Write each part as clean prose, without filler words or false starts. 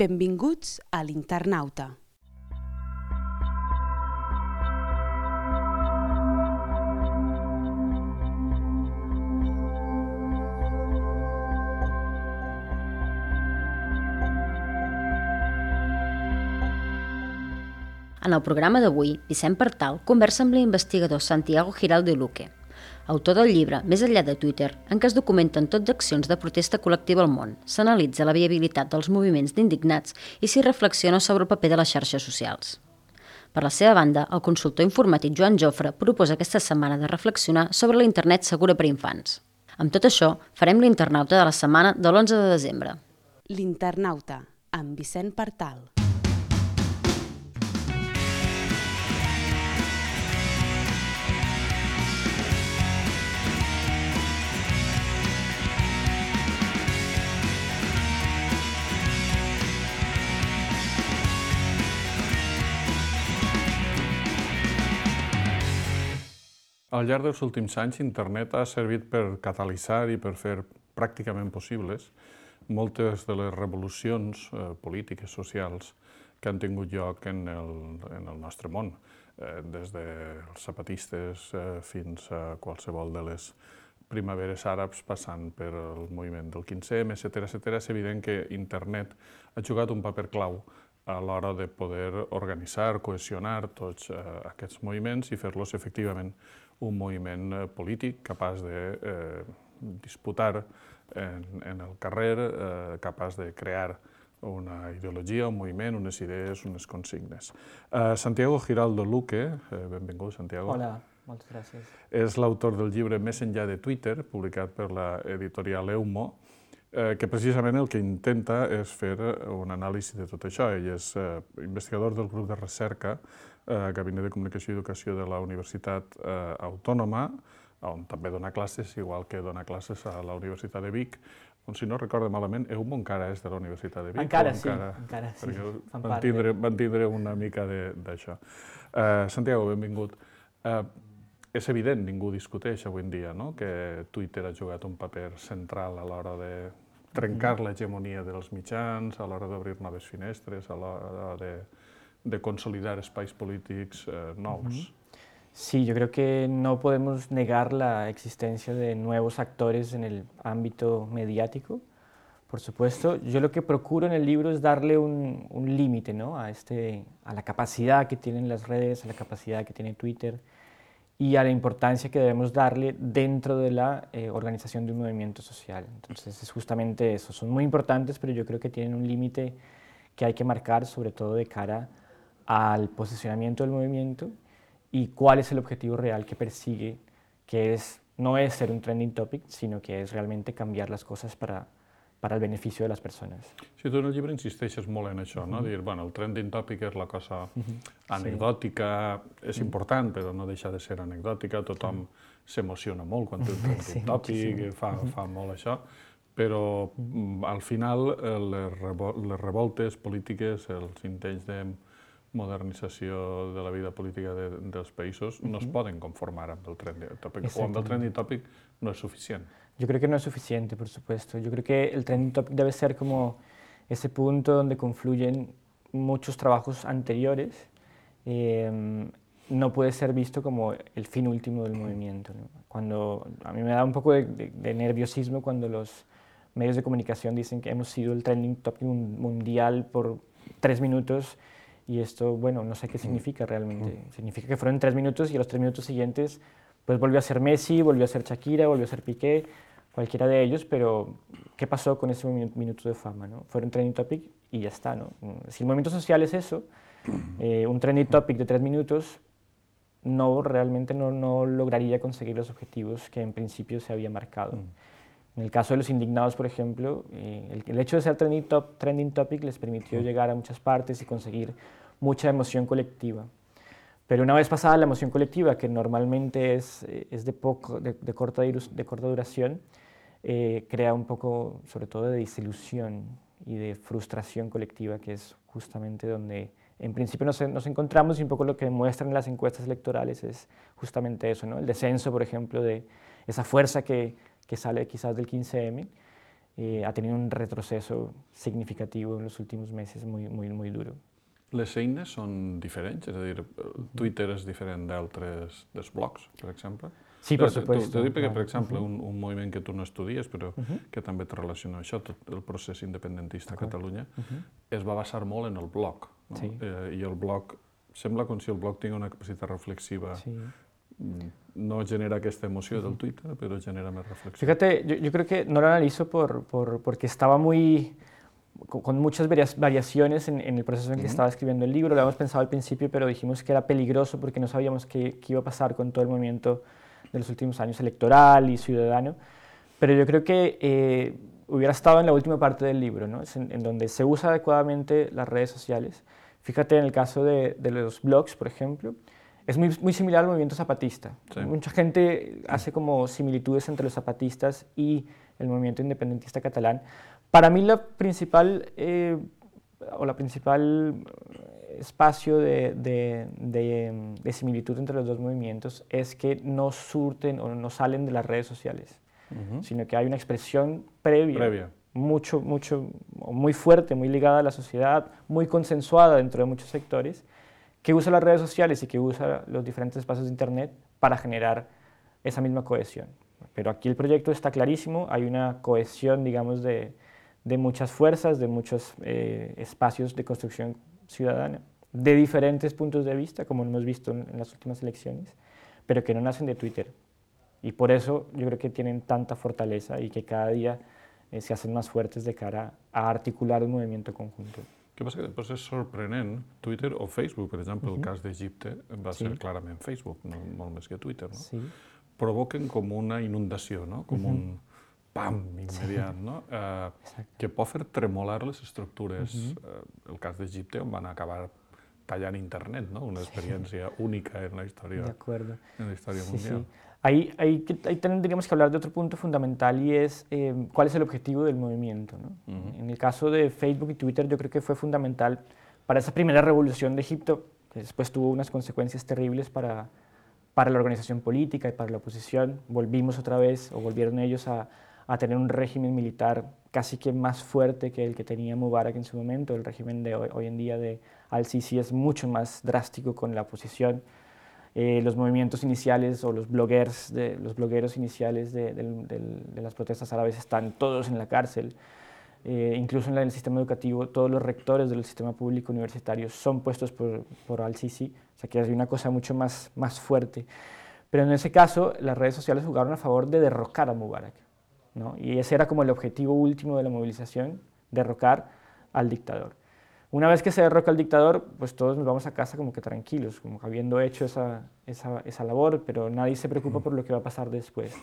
Benvinguts a l'Internauta. En el programa d'avui, Vicent Partal conversa amb l'investigador Santiago Giraldo Luque, autor del llibre Més enllà de Twitter, en què es documenten tot d'accions de protesta col·lectiva al món, s'analitza la viabilitat dels moviments d'indignats i s'hi reflexiona sobre el paper de les xarxes socials. Per la seva banda, el consultor informàtic Joan Jofre proposa aquesta setmana de reflexionar sobre la internet segura per a infants. Amb tot això, farem l'Internauta de la setmana de l'11 de desembre. L'Internauta, amb Vicent Partal. Al llarg dels últims anys, internet ha servit per catalitzar i per fer pràcticament possibles moltes de les revolucions polítiques, socials, que han tingut lloc en el nostre món, des dels zapatistes fins a qualsevol de les primaveres àrabs, passant per el moviment del 15M, etc. És evident que internet ha jugat un paper clau a l'hora de poder organitzar, cohesionar tots aquests moviments i fer-los efectivament un moviment polític capaç de disputar en el carrer, capaç de crear una ideologia, un moviment, unes idees, unes consignes. Santiago Giraldo Luque, benvingut, Santiago. Hola, moltes gràcies. És l'autor del llibre Més enllà de Twitter, publicat per l'editorial Eumo, que precisament el que intenta és fer un anàlisi de tot això. Ell és investigador del grup de recerca Gabinet de Comunicació i Educació de la Universitat Autònoma, on també dona classes, igual que dona classes a la Universitat de Vic, on, si no recordo malament, Eumo encara és de la Universitat de Vic. Encara sí, Van tindre una mica d'això. Santiago, benvingut. És evident, ningú discuteix avui en dia, que Twitter ha jugat un paper central a l'hora de trencar l'hegemonia dels mitjans, a l'hora d'obrir noves finestres, a l'hora de consolidar espais polítics nous. Sí, yo creo que no podemos negar la existencia de nuevos actores en el ámbito mediático, por supuesto. Yo lo que procuro en el libro es darle un límite, a la capacidad que tienen las redes, a la capacidad que tiene Twitter y a la importancia que debemos darle dentro de la organización de un movimiento social. Entonces es justamente eso, son muy importantes, pero yo creo que tienen un límite que hay que marcar, sobre todo de cara al posicionamiento del movimiento y cuál es el objetivo real que persigue, que no es ser un trending topic, sino que es realmente cambiar las cosas para el beneficio de las persones. Sí, tu en el llibre insisteixes molt en això, Dir, el trending topic és la cosa anecdòtica, és important, però no deixa de ser anecdòtica, tothom s'emociona molt quan té un trending topic, fa molt això, però al final les revoltes polítiques, els intents de modernització de la vida política dels països no es poden conformar amb el trending topic, o amb el trending topic no es suficient. Yo creo que no es suficiente, por supuesto. Yo creo que el trending topic debe ser como ese punto donde confluyen muchos trabajos anteriores. No puede ser visto como el fin último del movimiento. Cuando a mí me da un poco de nerviosismo cuando los medios de comunicación dicen que hemos sido el trending topic mundial por 3 minutos. Y esto, no sé qué significa realmente. Significa que fueron 3 minutos y a los 3 minutos siguientes pues volvió a ser Messi, volvió a ser Shakira, volvió a ser Piqué, cualquiera de ellos, pero ¿qué pasó con ese minuto de fama? Fueron trending topic y ya está. Si el movimiento social es eso, un trending topic de 3 minutos realmente no lograría conseguir los objetivos que en principio se había marcado. En el caso de los indignados, por ejemplo, el hecho de ser trending topic les permitió llegar a muchas partes y conseguir mucha emoción colectiva. Pero una vez pasada la emoción colectiva, que normalmente es de corta duración, crea un poco, sobre todo, de desilusión y de frustración colectiva, que es justamente donde en principio nos encontramos, y un poco lo que demuestran las encuestas electorales es justamente eso, El descenso, por ejemplo, de esa fuerza que sale quizás del 15M, ha tenido un retroceso significativo en los últimos meses muy duro. Les eines són diferents? És a dir, Twitter és diferent d'altres dels blogs, per exemple? Sí, por supuesto. T'ho dic perquè, per exemple, un moviment que tu no estudies, però que també te relaciona amb això, tot el procés independentista a Catalunya, es va basar molt en el blog. No? Sí. I el blog, sembla com si el blog tingui una capacitat reflexiva. Sí. No genera aquesta emoció del Twitter, però genera més reflexió. Fíjate, yo creo que no lo analizo porque estaba con muchas variaciones en el proceso en que estaba escribiendo el libro. Lo habíamos pensado al principio, pero dijimos que era peligroso porque no sabíamos qué iba a pasar con todo el movimiento de los últimos años electoral y ciudadano. Pero yo creo que hubiera estado en la última parte del libro, ¿no? En donde se usa adecuadamente las redes sociales. Fíjate en el caso de los blogs, por ejemplo, es muy similar al movimiento zapatista. Sí. Mucha gente hace como similitudes entre los zapatistas y el movimiento independentista catalán. Para mí la principal espacio de similitud entre los dos movimientos es que no surten o no salen de las redes sociales, sino que hay una expresión previa. Muy fuerte, muy ligada a la sociedad, muy consensuada dentro de muchos sectores, que usa las redes sociales y que usa los diferentes espacios de Internet para generar esa misma cohesión. Pero aquí el proyecto está clarísimo, hay una cohesión, digamos, de muchas fuerzas, de muchos espacios de construcción ciudadana, de diferentes puntos de vista, como hemos visto en las últimas elecciones, pero que no nacen de Twitter. Y por eso yo creo que tienen tanta fortaleza y que cada día se hacen más fuertes de cara a articular un movimiento conjunto. El que passa que després és sorprenent, Twitter o Facebook, per exemple, el cas d'Egipte va ser clarament Facebook, no, molt més que Twitter, no? Sí. Provoquen com una inundació, no? Com un pam immediat, no? Que pot fer tremolar les estructures. El cas d'Egipte on van acabar tallant internet, ¿no? Una experiència única en la història, mundial. Sí. Ahí tendríamos que hablar de otro punto fundamental y es cuál es el objetivo del movimiento, ¿no? En el caso de Facebook y Twitter yo creo que fue fundamental para esa primera revolución de Egipto, que después tuvo unas consecuencias terribles para la organización política y para la oposición. Volvimos otra vez, o volvieron ellos a tener un régimen militar casi que más fuerte que el que tenía Mubarak en su momento. El régimen de hoy en día de Al-Sisi es mucho más drástico con la oposición. Los movimientos iniciales o los blogueros iniciales de las protestas árabes están todos en la cárcel. Incluso en el sistema educativo, todos los rectores del sistema público universitario son puestos por Al-Sisi, o sea que hay una cosa mucho más fuerte. Pero en ese caso, las redes sociales jugaron a favor de derrocar a Mubarak, ¿no? Y ese era como el objetivo último de la movilización, derrocar al dictador. Una vez que se derroca al dictador, pues todos nos vamos a casa como que tranquilos, como habiendo hecho esa labor, pero nadie se preocupa por lo que va a pasar después.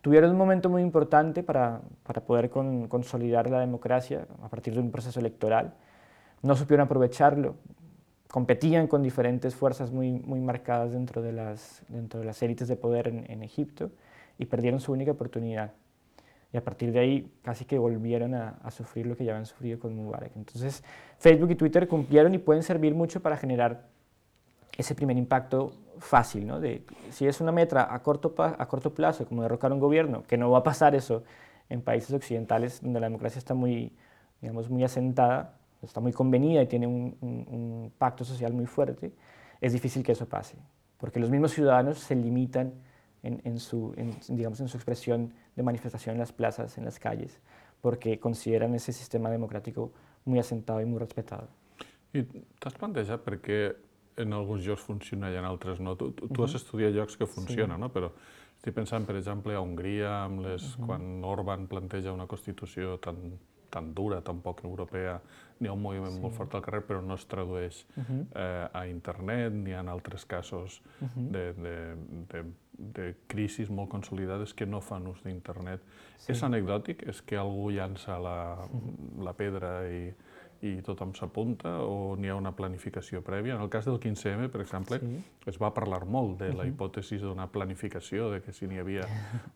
Tuvieron un momento muy importante para poder consolidar la democracia a partir de un proceso electoral. No supieron aprovecharlo, competían con diferentes fuerzas muy marcadas dentro de las élites de poder en Egipto y perdieron su única oportunidad. Y a partir de ahí casi que volvieron a sufrir lo que ya habían sufrido con Mubarak. Entonces Facebook y Twitter cumplieron y pueden servir mucho para generar ese primer impacto fácil, ¿no? De, si es una meta a corto plazo, como derrocar un gobierno, que no va a pasar eso en países occidentales donde la democracia está muy asentada, está muy convenida y tiene un pacto social muy fuerte, es difícil que eso pase, porque los mismos ciudadanos se limitan en su expresión de manifestación en las plazas, en las calles, porque consideran ese sistema democrático muy asentado y muy respetado. I t'has plantejat per què en alguns llocs funciona i en altres no? Tu has estudiat llocs que funcionen, no? Però estic pensant, per exemple, a Hongria, quan Orbán planteja una Constitució tan dura, tan poc europea, n'hi ha un moviment molt fort al carrer, però no es tradueix a internet ni en altres casos de crisis molt consolidades que no fan ús d'internet. És anecdòtic? És que algú llança la pedra i tothom s'apunta o n'hi ha una planificació prèvia? En el cas del 15M, per exemple, es va parlar molt de la hipòtesi d'una planificació, de que si n'hi havia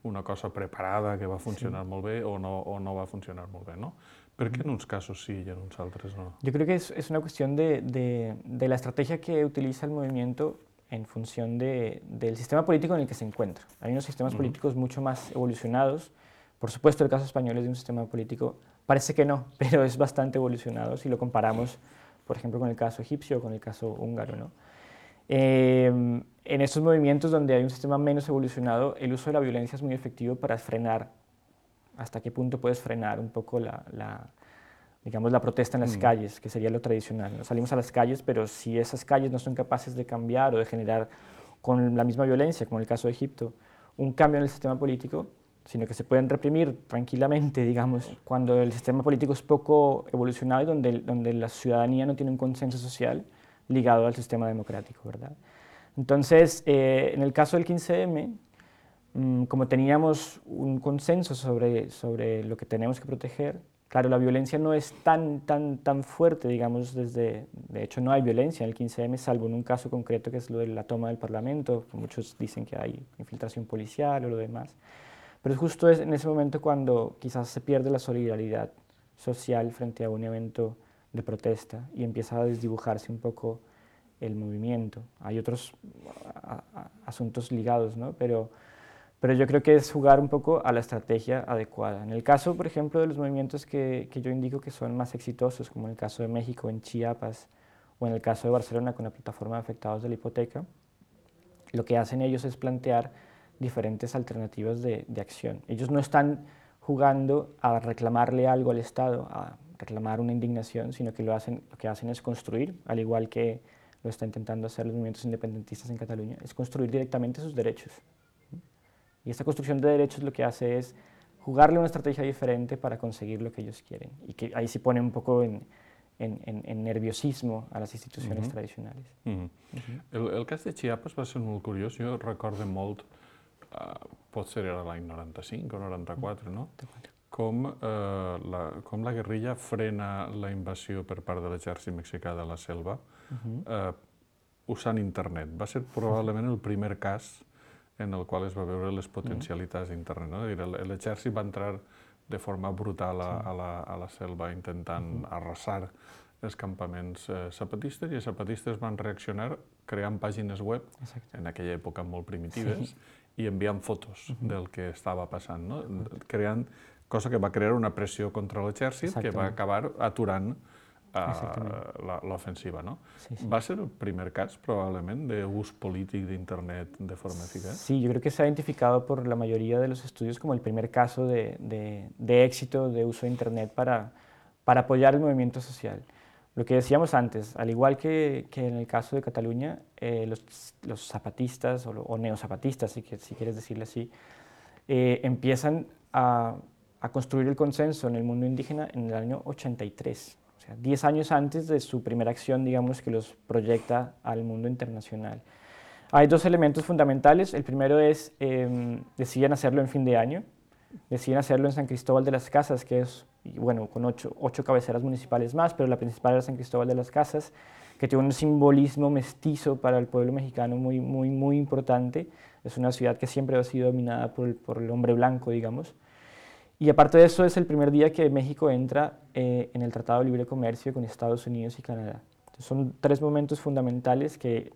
una cosa preparada que va funcionar molt bé o no va funcionar molt bé, no? ¿Por qué en unos casos sí y en unos otros no? Yo creo que es una cuestión de la estrategia que utiliza el movimiento en función del sistema político en el que se encuentra. Hay unos sistemas políticos mucho más evolucionados, Por supuesto, el caso español es de un sistema político, parece que no, pero es bastante evolucionado si lo comparamos, por ejemplo, con el caso egipcio o con el caso húngaro, ¿no? En estos movimientos donde hay un sistema menos evolucionado, el uso de la violencia es muy efectivo para frenar. ¿Hasta qué punto puedes frenar un poco digamos, la protesta en las calles, que sería lo tradicional, ¿no? Salimos a las calles, pero si esas calles no son capaces de cambiar o de generar con la misma violencia, como en el caso de Egipto, un cambio en el sistema político, sino que se pueden reprimir tranquilamente, digamos, cuando el sistema político es poco evolucionado y donde la ciudadanía no tiene un consenso social ligado al sistema democrático, ¿verdad? Entonces, en el caso del 15M, como teníamos un consenso sobre lo que tenemos que proteger, claro, la violencia no es tan fuerte, digamos, de hecho no hay violencia en el 15M, salvo en un caso concreto que es lo de la toma del Parlamento, muchos dicen que hay infiltración policial o lo demás, pero es justo en ese momento cuando quizás se pierde la solidaridad social frente a un evento de protesta y empieza a desdibujarse un poco el movimiento. Hay otros asuntos ligados, ¿no? Pero yo creo que es jugar un poco a la estrategia adecuada. En el caso, por ejemplo, de los movimientos que yo indico que son más exitosos, como en el caso de México, en Chiapas, o en el caso de Barcelona con la plataforma de afectados de la hipoteca, lo que hacen ellos es plantear diferentes alternativas de acción. Ellos no están jugando a reclamarle algo al Estado, a reclamar una indignación, sino que lo que hacen es construir, al igual que lo está intentando hacer los movimientos independentistas en Cataluña, es construir directamente sus derechos. Y esta construcción de derechos lo que hace es jugarle una estrategia diferente para conseguir lo que ellos quieren. Y que ahí sí pone un poco en nerviosismo a les institucions tradicionals. El cas de Chiapas va ser molt curiós. Jo recordo molt, potser era l'any 95 o 94, no? Com la guerrilla frena la invasió per part de l'exèrcit mexicà de la selva usant internet. Va ser probablement el primer cas en el qual es va veure les potencialitats d'internet. L'exèrcit va entrar de forma brutal a la selva intentant arrasar els campaments zapatistes i els zapatistes van reaccionar creant pàgines web, en aquella època molt primitives, i enviant fotos del que estava passant, creant, cosa que va crear una pressió contra l'exèrcit que va acabar aturant l'ofensiva. ¿Va ser el primer cas, probablemente, de uso político de Internet de forma eficaz? Sí, yo creo que se ha identificado por la mayoría de los estudios como el primer caso de éxito de uso de Internet para apoyar el movimiento social. Lo que decíamos antes, al igual que en el caso de Cataluña, los zapatistas o neozapatistas, si quieres decirle así, empiezan a construir el consenso en el mundo indígena en el año 83. 10 años antes de su primera acción, digamos, que los proyecta al mundo internacional. Hay dos elementos fundamentales. El primero es, deciden hacerlo en fin de año, deciden hacerlo en San Cristóbal de las Casas, que es, bueno, con 8 cabeceras municipales más, pero la principal era San Cristóbal de las Casas, que tiene un simbolismo mestizo para el pueblo mexicano muy importante. Es una ciudad que siempre ha sido dominada por el hombre blanco, digamos. Y aparte de eso, es el primer día que México entra en el Tratado de Libre Comercio con Estados Unidos y Canadá. Entonces, son 3 momentos fundamentales que,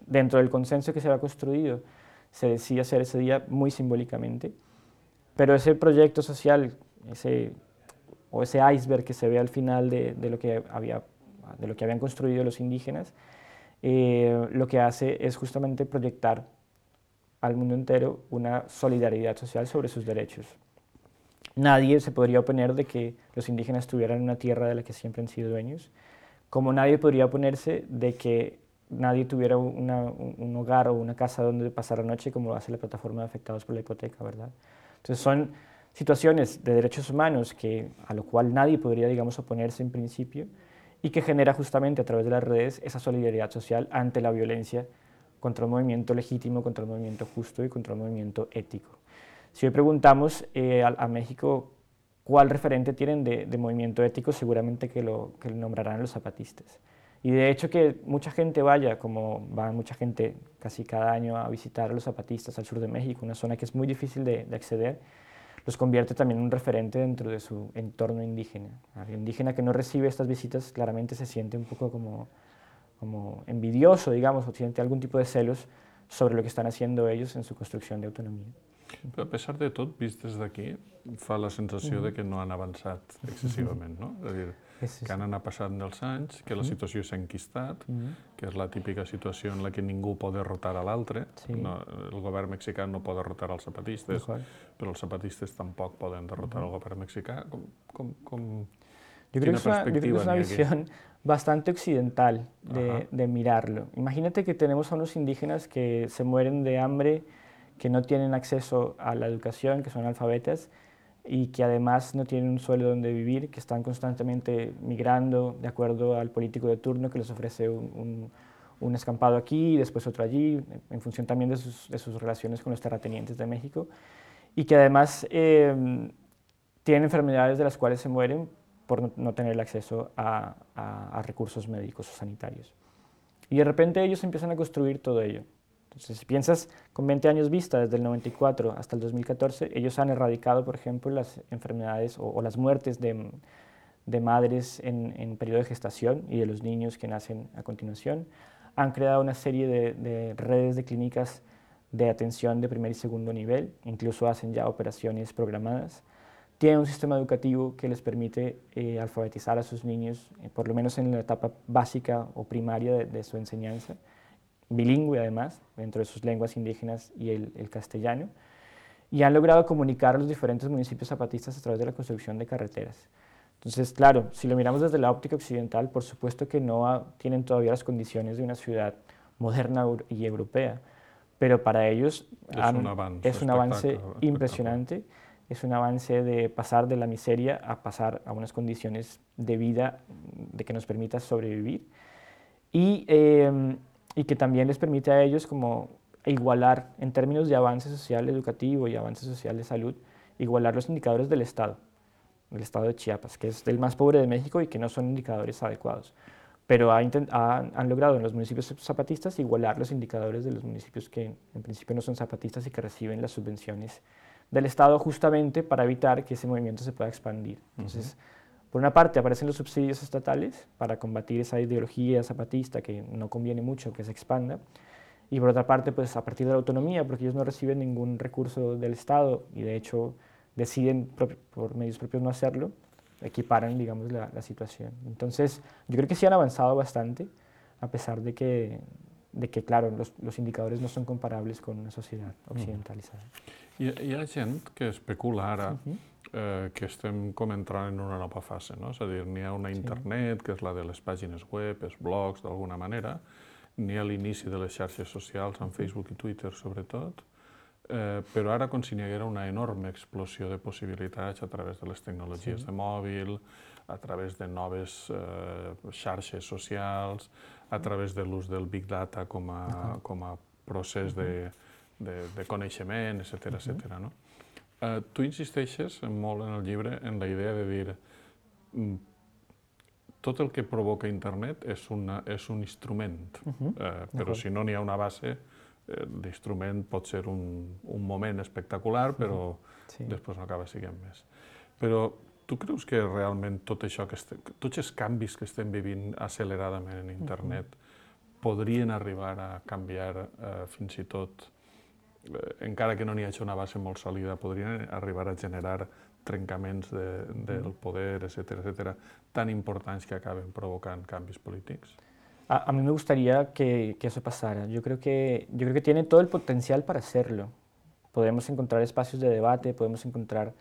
dentro del consenso que se había construido, se decide hacer ese día muy simbólicamente. Pero ese proyecto social, ese iceberg que se ve al final de lo que habían construido los indígenas, lo que hace es justamente proyectar al mundo entero una solidaridad social sobre sus derechos. Nadie se podría oponer de que los indígenas tuvieran una tierra de la que siempre han sido dueños, como nadie podría oponerse de que nadie tuviera un hogar o una casa donde pasar la noche, como lo hace la plataforma de afectados por la hipoteca, ¿verdad? Entonces son situaciones de derechos humanos a lo cual nadie podría, digamos, oponerse en principio y que genera justamente a través de las redes esa solidaridad social ante la violencia contra un movimiento legítimo, contra un movimiento justo y contra un movimiento ético. Si hoy preguntamos a México cuál referente tienen de movimiento ético, seguramente que lo nombrarán los zapatistas. Y de hecho que mucha gente vaya, como va mucha gente casi cada año a visitar a los zapatistas al sur de México, una zona que es muy difícil de acceder, los convierte también en un referente dentro de su entorno indígena. El indígena que no recibe estas visitas claramente se siente un poco como envidioso, digamos, o siente algún tipo de celos sobre lo que están haciendo ellos en su construcción de autonomía. Però a pesar de tot, vist des d'aquí, fa la sensació de que no han avançat excessivament, no? És a dir, que han anat passant dels anys, que la situació s'ha enquistat, que és la típica situació en la que ningú pot derrotar a l'altre. No, el govern mexicà no pot derrotar els zapatistes, però els zapatistes tampoc poden derrotar el govern mexicà. Yo creo que es una visión bastante occidental de mirarlo. Imagínate que tenemos a unos indígenas que se mueren de hambre, que no tienen acceso a la educación, que son analfabetas y que además no tienen un suelo donde vivir, que están constantemente migrando de acuerdo al político de turno que les ofrece un escampado aquí y después otro allí, en función también de sus relaciones con los terratenientes de México, y que además tienen enfermedades de las cuales se mueren por no tener el acceso a recursos médicos o sanitarios. Y de repente ellos empiezan a construir todo ello. Entonces, si piensas con 20 años vista, desde el 94 hasta el 2014, ellos han erradicado, por ejemplo, las enfermedades o las muertes de madres en periodo de gestación y de los niños que nacen a continuación. Han creado una serie de redes de clínicas de atención de primer y segundo nivel, incluso hacen ya operaciones programadas. Tienen un sistema educativo que les permite alfabetizar a sus niños, por lo menos en la etapa básica o primaria de su enseñanza, bilingüe además, dentro de sus lenguas indígenas y el castellano, y han logrado comunicar a los diferentes municipios zapatistas a través de la construcción de carreteras. Entonces, claro, si lo miramos desde la óptica occidental, por supuesto que no tienen todavía las condiciones de una ciudad moderna y europea, pero para ellos es un avance impresionante, es un avance de pasar de la miseria a pasar a unas condiciones de vida de que nos permita sobrevivir y que también les permite a ellos como igualar, en términos de avance social educativo y avance social de salud, igualar los indicadores del estado de Chiapas, que es el más pobre de México y que no son indicadores adecuados. Pero han logrado en los municipios zapatistas igualar los indicadores de los municipios que en principio no son zapatistas y que reciben las subvenciones del Estado justamente para evitar que ese movimiento se pueda expandir. Entonces, por una parte aparecen los subsidios estatales para combatir esa ideología zapatista que no conviene mucho que se expanda, y por otra parte, pues a partir de la autonomía, porque ellos no reciben ningún recurso del Estado y de hecho deciden por medios propios no hacerlo, equiparan, digamos, la situación. Entonces, yo creo que sí han avanzado bastante, a pesar de que claro, los indicadores no son comparables con una sociedad occidentalizada. Hi ha gent que especula ara que estem com entrant en una nova fase, no? És a dir, n'hi ha una internet, que és la de les pàgines web, els blogs, d'alguna manera, n'hi ha l'inici de les xarxes socials, en Facebook i Twitter sobretot, però ara com si n'hi haguera una enorme explosió de possibilitats a través de les tecnologies de mòbil, a través de noves xarxes socials, a través de l'ús del Big Data com a procés de coneixement, etcètera. Tu insisteixes molt en el llibre en la idea de dir tot el que provoca internet és un instrument, però si no n'hi ha una base, l'instrument pot ser un moment espectacular, però després no acaba sent més. Però tu creus que realment tot això, tots els canvis que estem vivint acceleradament en internet podrien arribar a canviar fins i tot, encara que no n'hi hagi una base molt sòlida, podrien arribar a generar trencaments del poder, etcétera, tan importants que acaben provocant canvis polítics? A mí me gustaría que eso pasara. Yo creo que tiene todo el potencial para hacerlo. Podemos encontrar espacios de debate, podemos encontrar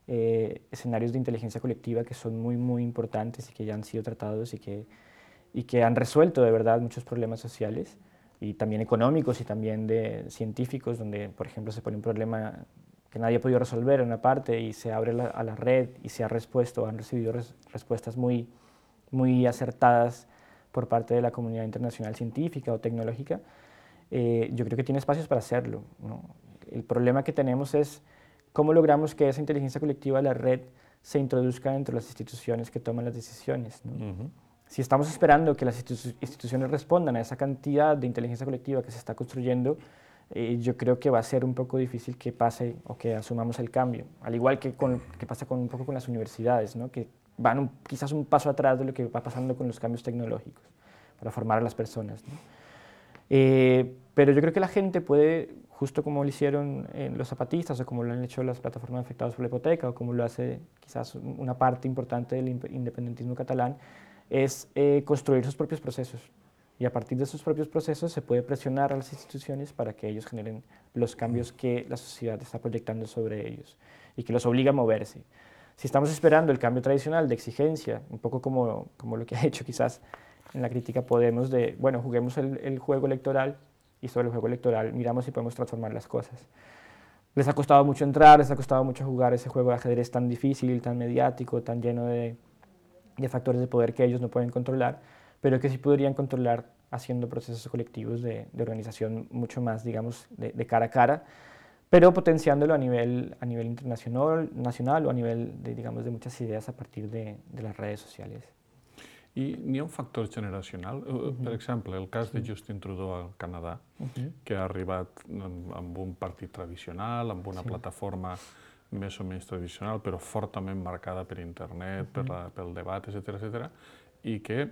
escenarios de inteligencia colectiva que son muy, muy importantes y que ya han sido tratados y que han resuelto de verdad muchos problemas sociales y también económicos y también de científicos, donde, por ejemplo, se pone un problema que nadie ha podido resolver en una parte y se abre a la red y se ha han recibido respuestas muy, muy acertadas por parte de la comunidad internacional científica o tecnológica. Yo creo que tiene espacios para hacerlo, ¿no? El problema que tenemos es cómo logramos que esa inteligencia colectiva de la red se introduzca dentro de las instituciones que toman las decisiones, ¿no? Si estamos esperando que las instituciones respondan a esa cantidad de inteligencia colectiva que se está construyendo, yo creo que va a ser un poco difícil que pase o que asumamos el cambio, al igual que pasa un poco con las universidades, ¿no? Que van quizás un paso atrás de lo que va pasando con los cambios tecnológicos para formar a las personas, ¿no? Pero yo creo que la gente puede, justo como lo hicieron los zapatistas o como lo han hecho las plataformas afectadas por la hipoteca o como lo hace quizás una parte importante del independentismo catalán, es construir sus propios procesos. Y a partir de esos propios procesos se puede presionar a las instituciones para que ellos generen los cambios que la sociedad está proyectando sobre ellos y que los obliga a moverse. Si estamos esperando el cambio tradicional de exigencia, un poco como lo que ha hecho quizás en la crítica Podemos de, bueno, juguemos el juego electoral y sobre el juego electoral miramos si podemos transformar las cosas. Les ha costado mucho entrar, les ha costado mucho jugar ese juego de ajedrez tan difícil, tan mediático, tan lleno de factores de poder que ellos no pueden controlar, pero que sí podrían controlar haciendo procesos colectivos de organización mucho más, digamos, de cara a cara, pero potenciándolo a nivel internacional nacional o a nivel de, digamos, de muchas ideas a partir de las redes sociales. I n'hi ha un factor generacional. Per exemple, el cas de Justin Trudeau al Canadà, que ha arribat amb un partit tradicional, amb una plataforma més o menys tradicional, però fortament marcada per internet, pel debat, etc., i que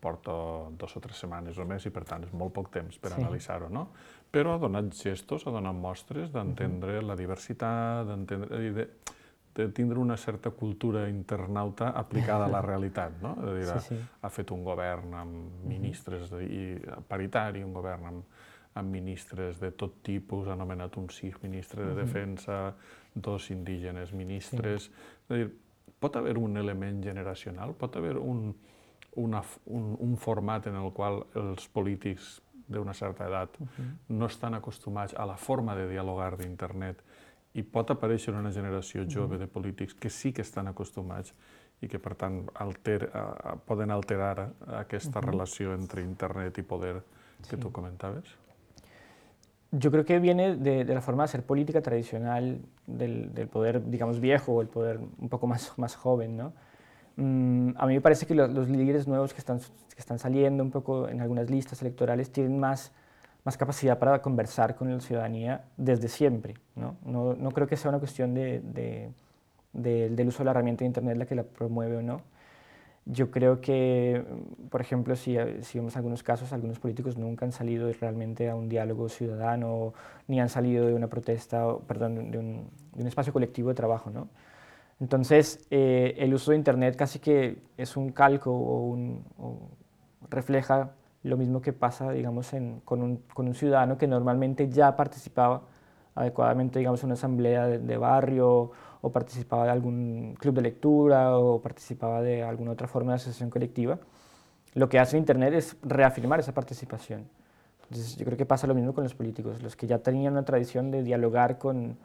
porta 2 o 3 setmanes només i, per tant, és molt poc temps per analitzar-ho, no? Però ha donat gestos, ha donat mostres d'entendre la diversitat, de tindre una certa cultura internauta aplicada a la realitat, no? És a dir, ha fet un govern amb ministres paritari, un govern amb ministres de tot tipus, ha nomenat un sikh ministre de defensa, 2 indígenes ministres. És a dir, pot haver un element generacional, pot haver un format en el qual els polítics d'una certa edat no estan acostumats a la forma de dialogar d'internet i pot aparèixer una generació jove de polítics que sí que estan acostumats i que, per tant, poden alterar aquesta relació entre internet i poder que tu comentaves? Yo creo que viene de la forma de hacer política tradicional del poder, digamos, viejo o el poder un poco más joven, ¿no? A mí me parece que los líderes nuevos que están saliendo un poco en algunas listas electorales tienen más capacidad para conversar con la ciudadanía desde siempre, ¿no? No creo que sea una cuestión del uso de la herramienta de Internet la que la promueve o no. Yo creo que, por ejemplo, si vemos algunos casos, algunos políticos nunca han salido realmente a un diálogo ciudadano, ni han salido de una protesta, perdón, de un espacio colectivo de trabajo, ¿no? Entonces, el uso de Internet casi que es un calco o refleja lo mismo que pasa, digamos, con un ciudadano que normalmente ya participaba adecuadamente, digamos, en una asamblea de barrio o participaba de algún club de lectura o participaba de alguna otra forma de asociación colectiva. Lo que hace Internet es reafirmar esa participación. Entonces, yo creo que pasa lo mismo con los políticos, los que ya tenían una tradición de dialogar con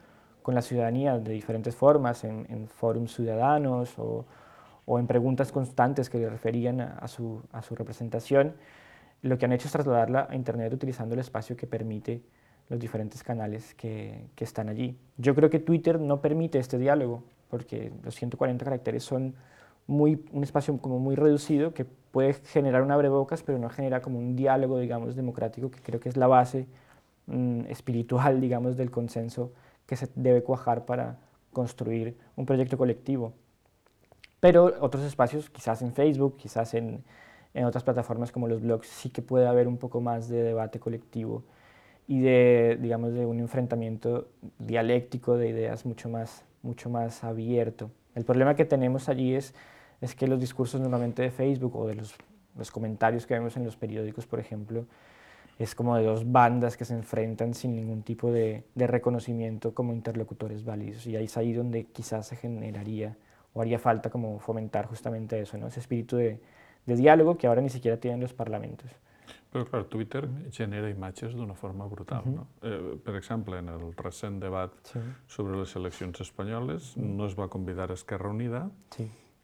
la ciudadanía de diferentes formas, en fórums ciudadanos o en preguntas constantes que le referían a su representación. Lo que han hecho es trasladarla a Internet utilizando el espacio que permite los diferentes canales que están allí. Yo creo que Twitter no permite este diálogo, porque los 140 caracteres son un espacio como muy reducido que puede generar un abrebocas, pero no genera como un diálogo, digamos, democrático, que creo que es la base espiritual, digamos, del consenso que se debe cuajar para construir un proyecto colectivo. Pero otros espacios, quizás en Facebook, quizás en otras plataformas como los blogs, sí que puede haber un poco más de debate colectivo y digamos, de un enfrentamiento dialéctico de ideas mucho más abierto. El problema que tenemos allí es que los discursos normalmente de Facebook o de los comentarios que vemos en los periódicos, por ejemplo, es como de 2 bandas que se enfrentan sin ningún tipo de reconocimiento como interlocutores válidos, y ahí es ahí donde quizás se generaría o haría falta como fomentar justamente eso, ¿no? Ese espíritu de diálogo que ahora ni siquiera tienen los parlamentos. Però, clar, Twitter genera imatges d'una forma brutal, no? Per exemple, en el recent debat sobre les eleccions espanyoles no es va convidar a Esquerra Unida,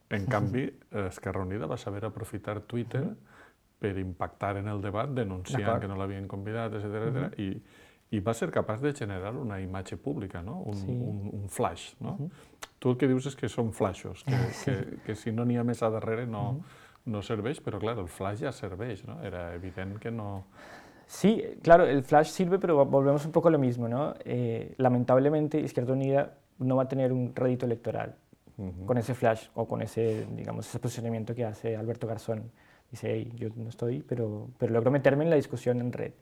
en canvi, Esquerra Unida va saber aprofitar Twitter per impactar en el debat, denunciant que no l'havien convidat, etc. I va ser capaç de generar una imatge pública, no? Un flash, no? Tu el que dius és que són flashos, que si no n'hi ha més a darrere no serveix, però clar, el flash ja serveix, ¿no? Era evident que no... Sí, claro, el flash sirve, pero volvemos un poco a lo mismo, ¿no? Lamentablemente, Izquierda Unida no va a tener un rédito electoral con ese flash o con ese, digamos, ese posicionamiento que hace Alberto Garzón. Dice, hey, yo no estoy, pero logro meterme en la discusión en red.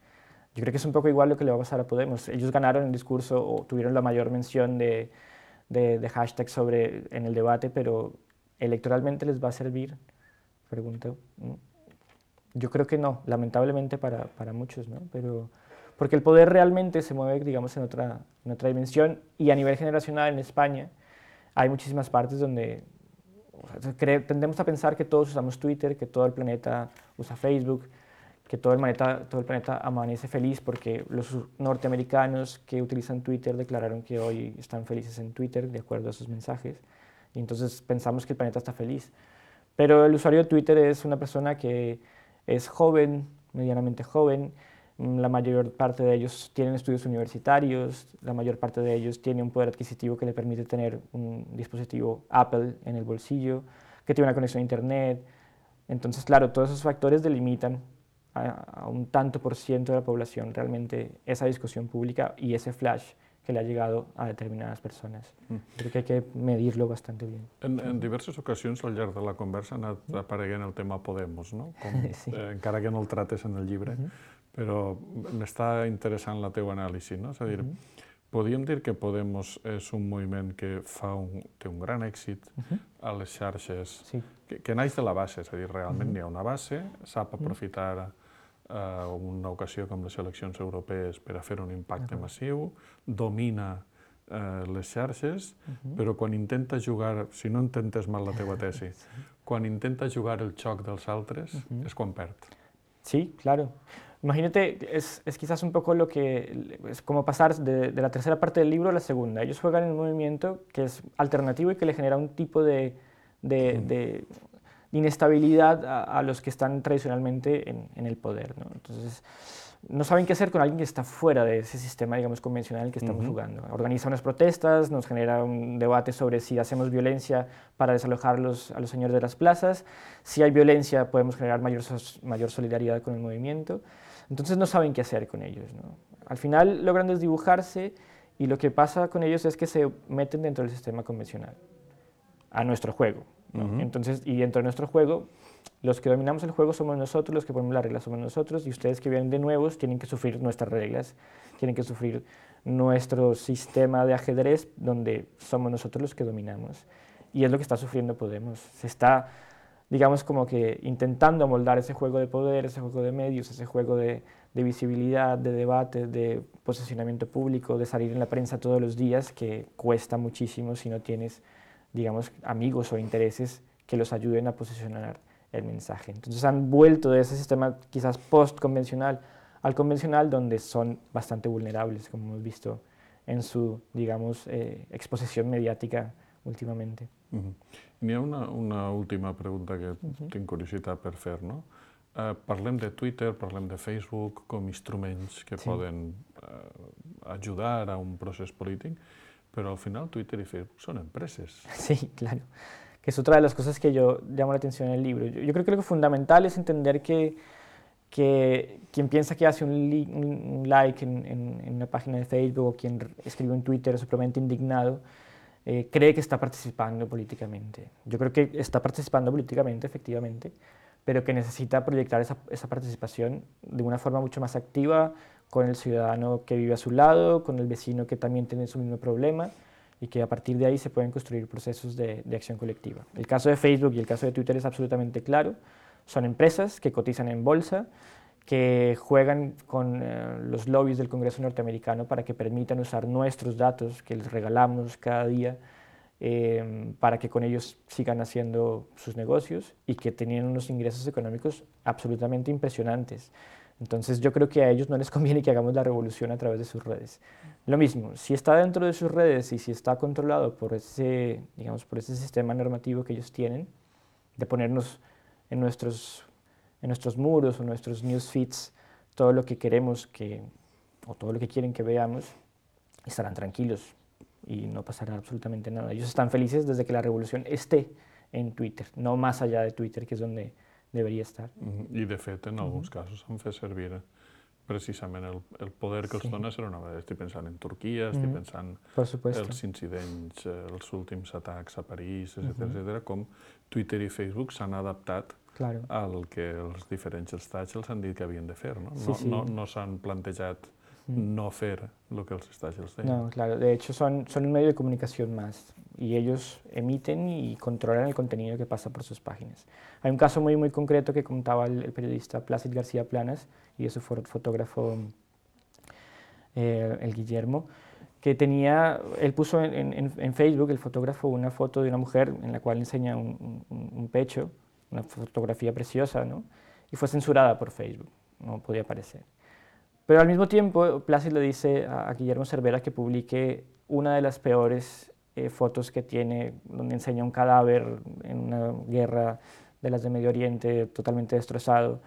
Yo creo que es un poco igual lo que le va a pasar a Podemos. Ellos ganaron el discurso o tuvieron la mayor mención de hashtags en el debate, pero electoralmente les va a servir, pregunto. Yo creo que no, lamentablemente para muchos, ¿no? Pero, porque el poder realmente se mueve, digamos, en otra dimensión, y a nivel generacional en España hay muchísimas partes donde tendemos a pensar que todos usamos Twitter, que todo el planeta usa Facebook, que todo el planeta amanece feliz porque los norteamericanos que utilizan Twitter declararon que hoy están felices en Twitter de acuerdo a sus mensajes, y entonces pensamos que el planeta está feliz. Pero el usuario de Twitter es una persona que es joven, medianamente joven, la mayor parte de ellos tienen estudios universitarios, la mayor parte de ellos tiene un poder adquisitivo que le permite tener un dispositivo Apple en el bolsillo, que tiene una conexión a Internet. Entonces, claro, todos esos factores delimitan a un tanto por ciento de la población realmente esa discusión pública y ese flash que le ha llegado a determinadas persones. Crec que hay que medir-lo bastant bien. En diverses ocasions al llarg de la conversa ha anat apareguent el tema Podemos, no? Sí. Encara que no el trates en el llibre, però m'està interessant la teva anàlisi, no? És a dir, podríem dir que Podemos és un moviment que té un gran èxit a les xarxes, que naix de la base, és a dir, realment hi ha una base, sap aprofitar una ocasió com les eleccions europees per a fer un impacte massiu, domina les xarxes, però quan intenta jugar, si no intentes mal la teva tesi, quan intenta jugar el xoc dels altres és quan perd. Sí, claro. Imagínate, es quizás un poco lo que es como pasar de la tercera parte del libro a la segunda. Ellos juegan en un movimiento que es alternativo y que le genera un tipo de inestabilidad a los que están tradicionalmente en el poder, ¿no? Entonces, no saben qué hacer con alguien que está fuera de ese sistema, digamos, convencional en el que estamos jugando. Organiza unas protestas, nos genera un debate sobre si hacemos violencia para desalojar a los señores de las plazas. Si hay violencia, podemos generar mayor solidaridad con el movimiento. Entonces, no saben qué hacer con ellos, ¿no? Al final logran desdibujarse y lo que pasa con ellos es que se meten dentro del sistema convencional, a nuestro juego, ¿no? Entonces, y dentro de nuestro juego, los que dominamos el juego somos nosotros, los que ponemos las reglas somos nosotros, y ustedes que vienen de nuevos tienen que sufrir nuestras reglas, tienen que sufrir nuestro sistema de ajedrez donde somos nosotros los que dominamos. Y es lo que está sufriendo Podemos. Se está, digamos, como que intentando amoldar ese juego de poder, ese juego de medios, ese juego de visibilidad, de debate, de posicionamiento público, de salir en la prensa todos los días, que cuesta muchísimo si no tienes, digamos, amigos o intereses que los ayuden a posicionar el mensaje. Entonces han vuelto de ese sistema quizás post-convencional al convencional, donde son bastante vulnerables, como hemos visto en su, digamos, exposición mediàtica últimamente. N'hi ha una última pregunta que tinc curiositat per fer, no? Parlem de Twitter, parlem de Facebook com instruments que poden ajudar a un procés polític, però al final Twitter y Facebook son empresas. Sí, claro. Que es otra de las cosas que yo llamo la atención en el libro. Yo creo que lo fundamental es entender que quien piensa que hace un like en una página de Facebook o quien escribe un Twitter supremamente indignado, cree que está participando políticamente. Yo creo que está participando políticamente, efectivamente, pero que necesita proyectar esa participación de una forma mucho más activa con el ciudadano que vive a su lado, con el vecino que también tiene su mismo problema, y que a partir de ahí se pueden construir procesos de acción colectiva. El caso de Facebook y el caso de Twitter es absolutamente claro. Son empresas que cotizan en bolsa, que juegan con los lobbies del Congreso norteamericano para que permitan usar nuestros datos que les regalamos cada día para que con ellos sigan haciendo sus negocios y que tienen unos ingresos económicos absolutamente impresionantes. Entonces yo creo que a ellos no les conviene que hagamos la revolución a través de sus redes. Lo mismo, si está dentro de sus redes y si está controlado por ese, digamos, por ese sistema normativo que ellos tienen, de ponernos en nuestros muros o nuestros newsfeeds todo lo que queremos o todo lo que quieren que veamos, estarán tranquilos y no pasará absolutamente nada. Ellos están felices desde que la revolución esté en Twitter, no más allá de Twitter, que es donde deberia estar. I, de fet, en alguns casos han fet servir precisament el poder que els dona ser una vegada. Estic pensant en Turquia, estic pensant els incidents, els últims atacs a París, etc., com Twitter i Facebook s'han adaptat al que els diferents estats els han dit que havien de fer. No s'han plantejat no fer lo que els estats els deien. No, claro, de hecho son un medio de comunicación más y ellos emiten y controlan el contenido que pasa por sus páginas. Hay un caso muy concreto que contaba el periodista Plácid García Planas y de su fotógrafo el Guillermo, que él puso en Facebook, el fotógrafo, una foto de una mujer en la cual enseña un pecho, una fotografía preciosa, ¿no? Y fue censurada por Facebook, no podía aparecer. Pero al mismo tiempo, Plácid le dice a Guillermo Cervera que publique una de las peores fotos que tiene, donde enseña un cadáver en una guerra de las de Medio Oriente totalmente destrozado,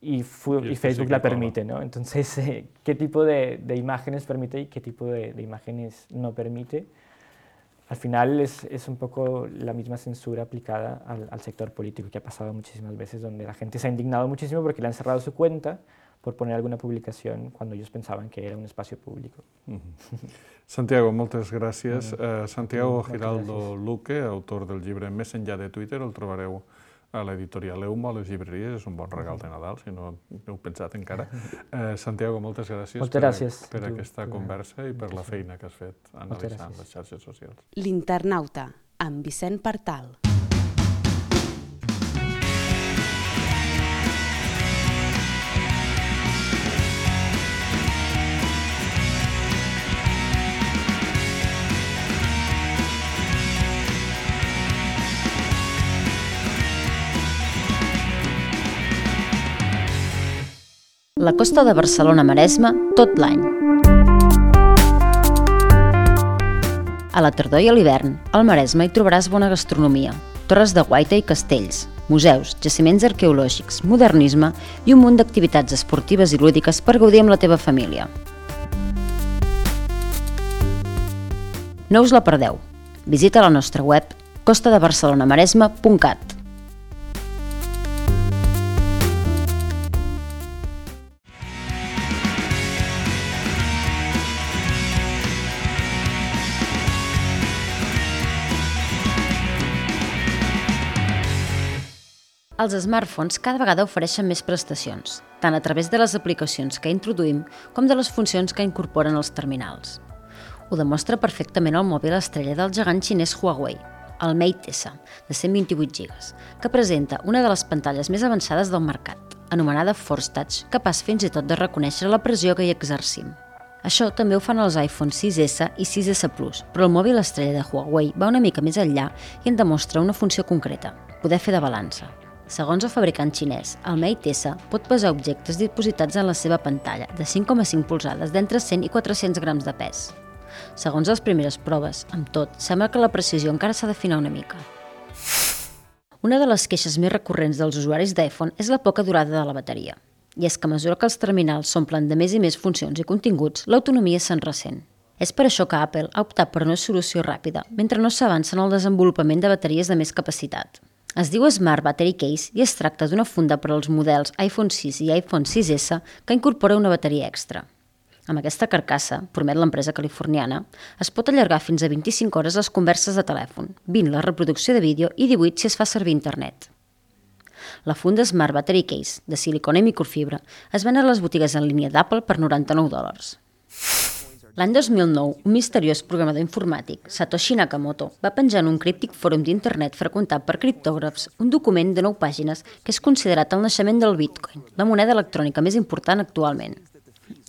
y Facebook la permite, ¿no? Entonces, ¿qué tipo de imágenes permite y qué tipo de imágenes no permite? Al final es un poco la misma censura aplicada al sector político, que ha pasado muchísimas veces, donde la gente se ha indignado muchísimo porque le han cerrado su cuenta por poner alguna publicación cuando ellos pensaban que era un espacio público. Santiago, moltes gràcies. Santiago Giraldo Luque, autor del llibre Més enllà de Twitter, el trobareu a l'editorial Euma, a les llibreries, és un bon regal de Nadal, si no heu pensat encara. Santiago, moltes gràcies per aquesta conversa i per la feina que has fet analitzant les xarxes socials. L'Internauta, amb Vicent Partal. La costa de Barcelona-Maresme tot l'any. A la tardor i a l'hivern, al Maresme hi trobaràs bona gastronomia, torres de guaita i castells, museus, jaciments arqueològics, modernisme i un munt d'activitats esportives i lúdiques per gaudir amb la teva família. No us la perdeu. Visita la nostra web costadebarcelonamaresme.cat. Els smartphones cada vegada ofereixen més prestacions, tant a través de les aplicacions que introduïm com de les funcions que incorporen els terminals. Ho demostra perfectament el mòbil estrella del gegant xinès Huawei, el Mate S, de 128 GB, que presenta una de les pantalles més avançades del mercat, anomenada Force Touch, capaç fins i tot de reconèixer la pressió que hi exercim. Això també ho fan els iPhone 6S i 6S Plus, però el mòbil estrella de Huawei va una mica més enllà i en demostra una funció concreta, poder fer de balança. Segons el fabricant xinès, el Mate S pot pesar objectes dipositats en la seva pantalla de 5,5 polzades d'entre 100 i 400 grams de pes. Segons les primeres proves, amb tot, sembla que la precisió encara s'ha d'afinar una mica. Una de les queixes més recurrents dels usuaris d'iPhone és la poca durada de la bateria. I és que a mesura que els terminals s'omplen de més i més funcions i continguts, l'autonomia se'n ressent. És per això que Apple ha optat per una solució ràpida, mentre no s'avança en el desenvolupament de bateries de més capacitat. Es diu Smart Battery Case i es tracta d'una funda per als models iPhone 6 i iPhone 6S que incorpora una bateria extra. Amb aquesta carcassa, promet l'empresa californiana, es pot allargar fins a 25 hores les converses de telèfon, 20 la reproducció de vídeo i 18 si es fa servir internet. La funda Smart Battery Case, de silicona i microfibra, es ven a les botigues en línia d'Apple per $99. L'any 2009, un misteriós programador informàtic, Satoshi Nakamoto, va penjar en un críptic fòrum d'internet freqüentat per criptògrafs un document de 9 pàgines que és considerat el naixement del Bitcoin, la moneda electrònica més important actualment.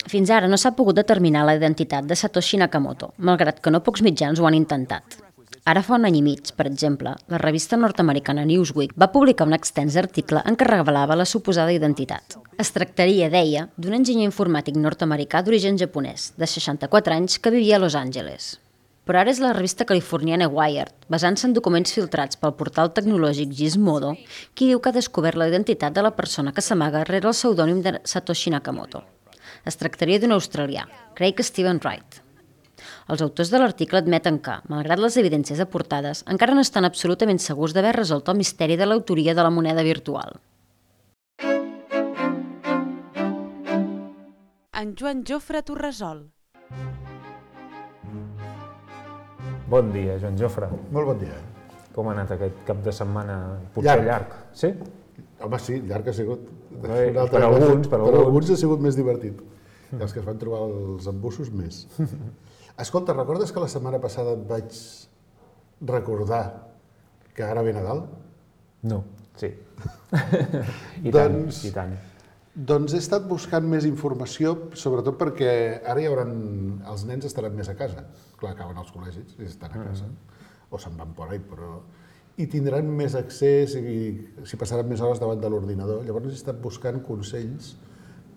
Fins ara no s'ha pogut determinar la identitat de Satoshi Nakamoto, malgrat que no pocs mitjans ho han intentat. Ara fa un any i mig, per exemple, la revista nord-americana Newsweek va publicar un extens article en què revelava la suposada identitat. Es tractaria, deia, d'un enginyer informàtic nord-americà d'origen japonès, de 64 anys, que vivia a Los Angeles. Però ara és la revista californiana Wired, basant-se en documents filtrats pel portal tecnològic Gizmodo, qui diu que ha descobert la identitat de la persona que s'amaga rere el pseudònim de Satoshi Nakamoto. Es tractaria d'un australià, Craig Stephen Wright. Els autors de l'article admeten que, malgrat les evidències aportades, encara no estan absolutament segurs d'haver resolt el misteri de l'autoria de la moneda virtual. En Joan Jofre t'ho resol. Bon dia, Joan Jofre. Molt bon dia. Com ha anat aquest cap de setmana? Potser llarg. Sí? Home, sí, llarg ha sigut. Per alguns ha sigut més divertit. Els que es van trobar els embussos, més. Escolta, recordes que la setmana passada et vaig recordar que ara ve Nadal? No, sí. I tant, i tant. Doncs he estat buscant més informació, sobretot perquè ara els nens estaran més a casa. Clar, acaben els col·legis i estan a casa. O se'n van por ahí, però... I tindran més accés i s'hi passaran més hores davant de l'ordinador. Llavors he estat buscant consells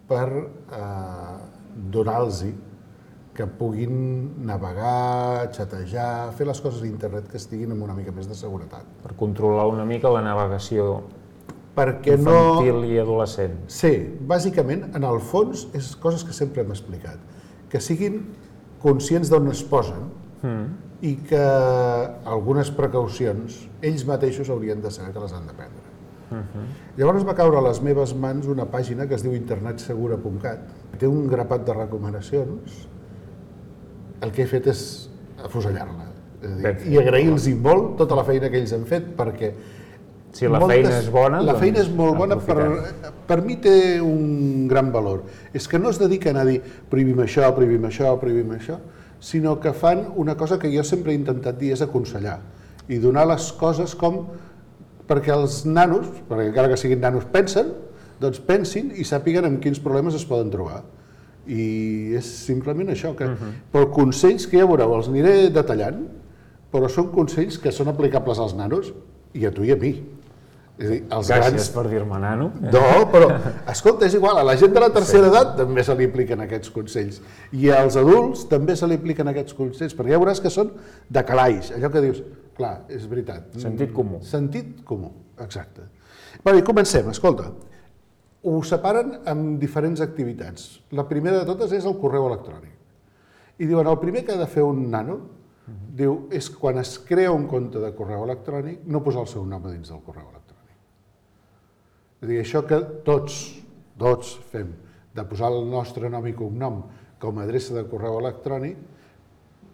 per donar-los que puguin navegar, xatejar, fer les coses a internet que estiguin amb una mica més de seguretat. Per controlar una mica la navegació infantil i adolescent. Sí, bàsicament, en el fons, és coses que sempre hem explicat. Que siguin conscients d'on es posen i que algunes precaucions ells mateixos haurien de saber que les han de prendre. Llavors va caure a les meves mans una pàgina que es diu internetsegura.cat. Té un grapat de recomanacions. El que he fet és afusellar-la. I agrair-los molt tota la feina que ells han fet, perquè si la feina és bona, la feina és molt bona, per mi té un gran valor. És que no es dediquen a dir prohibim això, prohibim això, prohibim això, sinó que fan una cosa que jo sempre he intentat dir, és aconsellar i donar les coses com perquè els nanos, perquè encara que siguin nanos pensen, doncs pensin i sàpiguen amb quins problemes es poden trobar. I és simplement això, però consells que ja veureu, els aniré detallant, però són consells que són aplicables als nanos i a tu i a mi. És a dir, gràcies per dir-me nano. No, però, escolta, és igual, a la gent de la tercera edat també se li apliquen aquests consells. I als adults també se li apliquen aquests consells, perquè ja veuràs que són de calaix, allò que dius, clar, és veritat. Sentit comú. Sentit comú, exacte. Bé, comencem, escolta. Ho separen amb diferents activitats. La primera de totes és el correu electrònic. I diuen, el primer que ha de fer un nano, diu, és quan es crea un compte de correu electrònic, no posar el seu nom a dins del correu electrònic. És a dir, això que tots fem, de posar el nostre nom i cognom com a adreça de correu electrònic,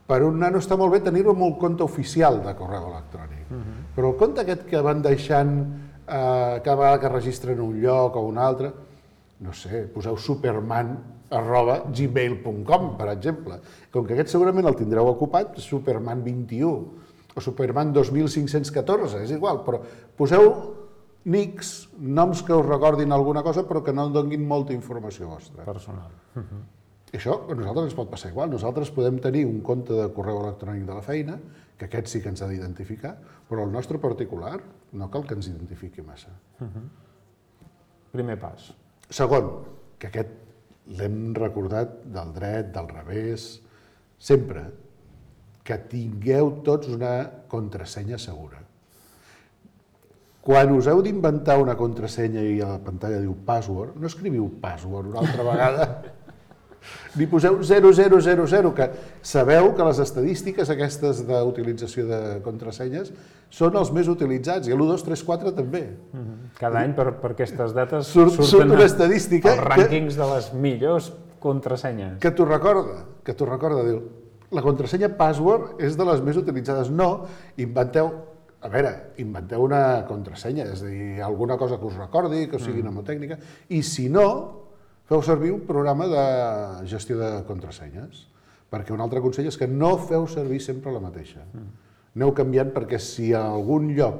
per un nano està molt bé tenir-ho en un compte oficial de correu electrònic. Però el compte aquest que van deixant cada vegada que registren un lloc o un altre, no sé, poseu superman@gmail.com, per exemple. Com que aquest segurament el tindreu ocupat, Superman21 o Superman 2514, és igual, però poseu nics, noms que us recordin alguna cosa però que no donguin molta informació vostra. Personal. Això a nosaltres ens pot passar igual. Nosaltres podem tenir un compte de correu electrònic de la feina, que aquest sí que ens ha d'identificar, però el nostre particular no cal que ens identifiqui massa. Primer pas. Segon, que aquest l'hem recordat del dret, del revés, sempre, que tingueu tots una contrasenya segura. Quan us heu d'inventar una contrasenya i a la pantalla diu password, no escriviu password una altra vegada, ni poseu 0000, que sabeu que les estadístiques aquestes d'utilització de contrasenyes són els més utilitzats, i l'1, 2, 3, 4 també. Cada any per aquestes dates surten una estadística els rànquings de les millors contrasenyes. Que t'ho recorda, diu, la contrasenya password és de les més utilitzades. No, inventeu una contrasenya, és a dir, alguna cosa que us recordi, que sigui mnemotècnica, i si no, feu servir un programa de gestió de contrasenyes, perquè un altre consell és que no feu servir sempre la mateixa. Aneu canviant perquè si a algun lloc,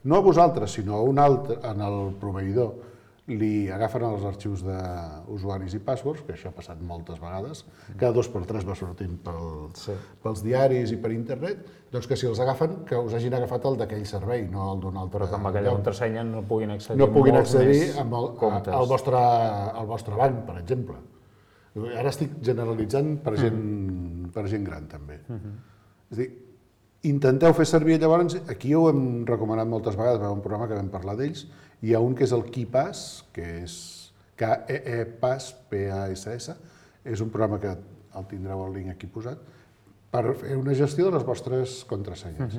no a vosaltres, sinó a un altre, en el proveïdor, li agafen els arxius d'usuaris i passwords, que això ha passat moltes vegades, cada 2 per 3 va sortint pels diaris i per internet, doncs que si els agafen, que us hagin agafat el d'aquell servei, no el d'un altre. Però que amb aquella contrasenya no puguin accedir al vostre banc, per exemple. Ara estic generalitzant per gent gran, també. És a dir, intenteu fer servir llavors, aquí ho hem recomanat moltes vegades, va haver un programa que vam parlar d'ells, hi ha un que és el KeePass, que és KeePass, P-A-S-S, és un programa que el tindreu el link aquí posat, per fer una gestió de les vostres contrasenyes.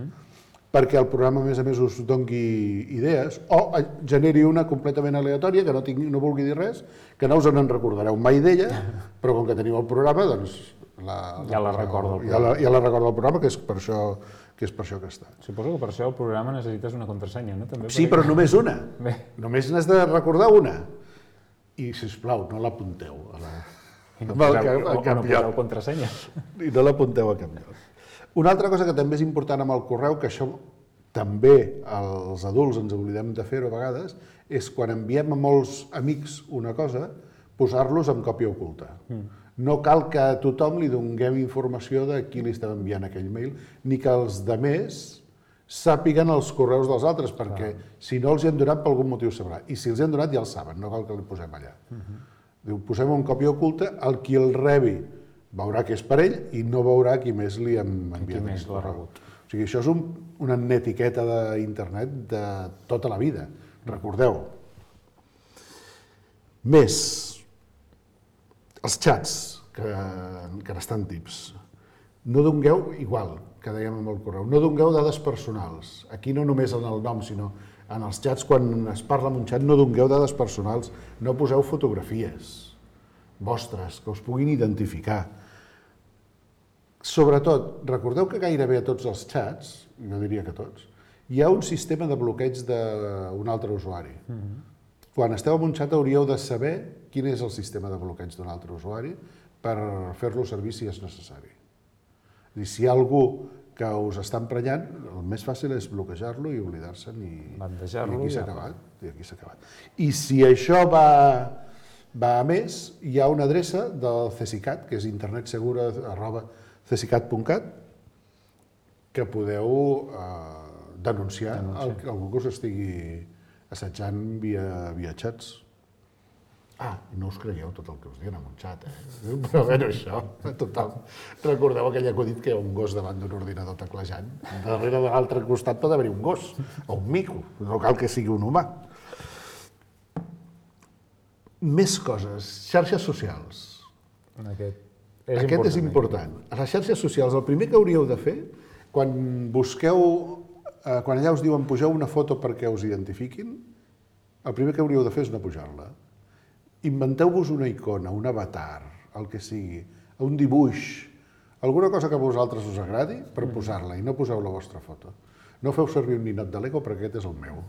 Perquè el programa, a més, us doni idees, o generi una completament aleatòria, que no vulgui dir res, que no us en recordareu mai d'ella, però com que teniu el programa, doncs... Ja la recorda el programa. Ja la recorda el programa, que és per això que és per això que està. Suposo que per això el programa necessites una contrasenya, no? També Sí, però només una. Bé. Només n'has de recordar una. I, sisplau, no l'apunteu I no a cap poseu lloc. contrasenya. I no l'apunteu a cap lloc. Una altra cosa que també és important amb el correu, que això també els adults ens oblidem de fer-ho a vegades, és quan enviem a molts amics una cosa, posar-los amb còpia oculta. No cal que a tothom li donem informació de qui li estem enviant aquell mail, ni que els demés sàpiguen els correus dels altres, perquè si no els hi han donat per algun motiu sabrà. I si els hi han donat ja el saben, no cal que li posem allà. Diu, posem en còpia oculta, el qui el rebi veurà que és per ell i no veurà qui més li hem enviat. Qui més l'ha rebut. O sigui, això és una netiqueta d'internet de tota la vida. Recordeu. Més, els xats, que n'estan tips. No dongueu, igual que dèiem amb el correu, no dongueu dades personals. Aquí no només en el nom, sinó en els xats, quan es parla en un xat, no dongueu dades personals. No poseu fotografies vostres, que us puguin identificar. Sobretot, recordeu que gairebé a tots els xats, jo diria que tots, hi ha un sistema de bloqueig d'un altre usuari. Quan esteu en un xat hauríeu de saber quin és el sistema de bloqueig d'un altre usuari per fer-lo servir si és necessari. És a dir, si hi ha algú que us està emprenyant, el més fàcil és bloquejar-lo i oblidar-se'n i aquí s'ha acabat. I si això va a més, hi ha una adreça del CSICAT, que és internetsegura@csicat.cat, que podeu denunciar algú que us estigui assetjant via xats. No us creieu tot el que us diuen en un xat, Però bé, això, total. Recordeu aquell acudit que hi ha un gos davant d'un ordinador teclejant? Darrere de l'altre costat pot haver-hi un gos, o un mico, no cal que sigui un humà. Més coses, xarxes socials. Aquest és important. A les xarxes socials, el primer que hauríeu de fer, quan allà us diuen pugeu una foto perquè us identifiquin, el primer que hauríeu de fer és no pujar-la. Inventeu-vos una icona, un avatar, el que sigui, un dibuix, alguna cosa que a vosaltres us agradi per posar-la i no poseu la vostra foto. No feu servir un ninot de Lego perquè aquest és el meu.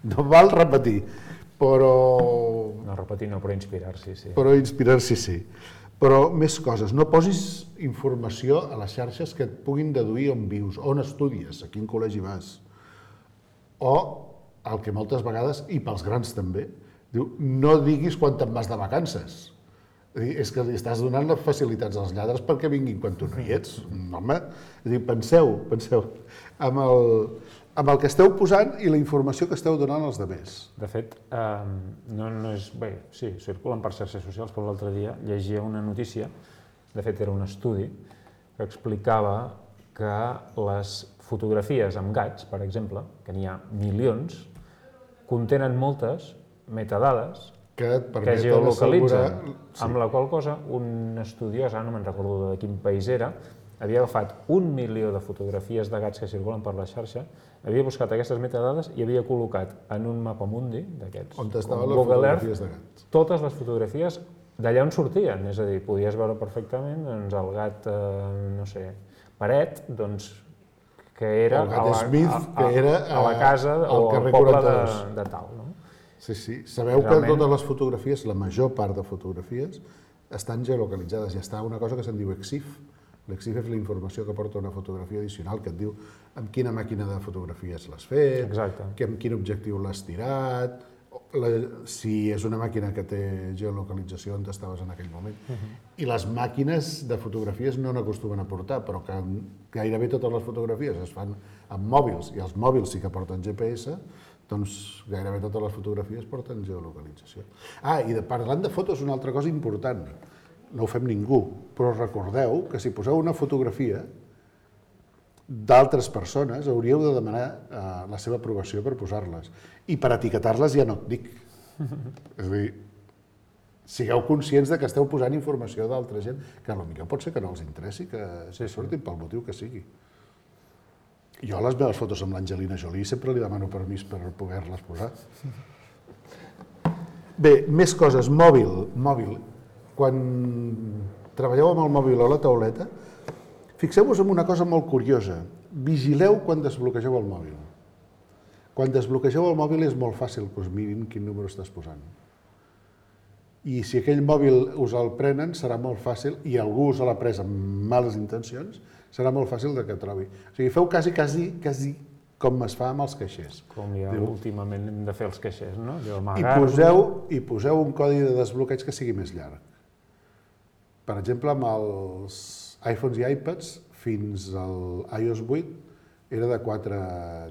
No val repetir, però... No repetir no, però inspirar-s'hi, sí. Però inspirar-s'hi, sí. Però més coses, no posis informació a les xarxes que et puguin deduir on vius, on estudies, a quin col·legi vas. O, el que moltes vegades, i pels grans també, diu, no diguis quan te'n vas de vacances. És que li estàs donant les facilitats als lladres perquè vinguin quan tu no hi ets. Home, penseu amb el que esteu posant i la informació que esteu donant als altres. De fet, no és... Bé, sí, circulen per xarxes socials, però l'altre dia llegia una notícia, de fet era un estudi, que explicava que les fotografies amb gats, per exemple, que n'hi ha milions, contenen moltes metadades que geolocalitzen, amb la qual cosa un estudiós, no me'n recordo de quin país era, havia agafat 1 milió de fotografies de gats que circulen per la xarxa, havia buscat aquestes metadades i havia col·locat en un mapa mundi d'aquests, on estaven les fotografies de gats. Totes les fotografies d'allà on sortien, és a dir, podies veure perfectament el gat, no sé, Paret, doncs, que era a la casa o al poble de tal, no? Sí. Sabeu que totes les fotografies, la major part de fotografies, estan geolocalitzades. Ja està una cosa que se'n diu EXIF. L'EXIF és la informació que porta una fotografia addicional, que et diu amb quina màquina de fotografies l'has fet, amb quin objectiu l'has tirat, si és una màquina que té geolocalització on estaves en aquell moment. I les màquines de fotografies no n'acostumen a portar, però que gairebé totes les fotografies es fan amb mòbils, i els mòbils sí que porten GPS, doncs gairebé totes les fotografies porten geolocalització. I parlant de fotos, una altra cosa important. No ho fem ningú, però recordeu que si poseu una fotografia d'altres persones hauríeu de demanar la seva aprovació per posar-les. I per etiquetar-les ja no et dic. És a dir, sigueu conscients que esteu posant informació d'altra gent que potser pot ser que no els interessi, que surtin pel motiu que sigui. Jo a les meves fotos amb l'Angelina Jolie sempre li demano permís per poder-les posar. Bé, més coses. Mòbil. Quan treballeu amb el mòbil a la tauleta, Fixeu-vos en una cosa molt curiosa. Vigileu quan desbloquegeu el mòbil. Quan desbloquegeu el mòbil és molt fàcil que us mirin quin número estàs posant. I si aquell mòbil us el prenen, serà molt fàcil, i algú us l'ha pres amb males intencions, serà molt fàcil que trobi. O sigui, feu quasi com es fa amb els caixers. Com ja últimament hem de fer els caixers, no? I poseu un codi de desbloqueig que sigui més llarg. Per exemple, amb els iPhones i iPads, fins al iOS 8, era de 4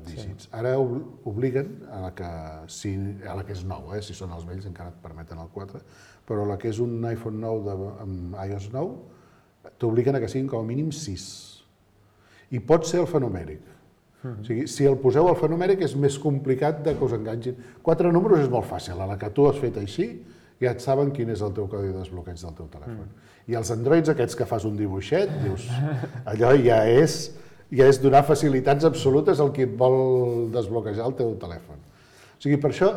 dígits. Ara obliguen, a la que és nou, si són els vells encara et permeten el 4, però la que és un iPhone 9 amb iOS 9, t'obliguen a que siguin com a mínim 6. I pot ser alfanumèric. O sigui, si el poseu alfanumèric és més complicat que us enganxin. 4 números és molt fàcil, a la que tu has fet així, ja et saben quin és el teu codi de desbloqueig del teu telèfon. I els Androids aquests que fas un dibuixet, dius, allò ja és donar facilitats absolutes al qui et vol desbloquejar el teu telèfon. O sigui, per això,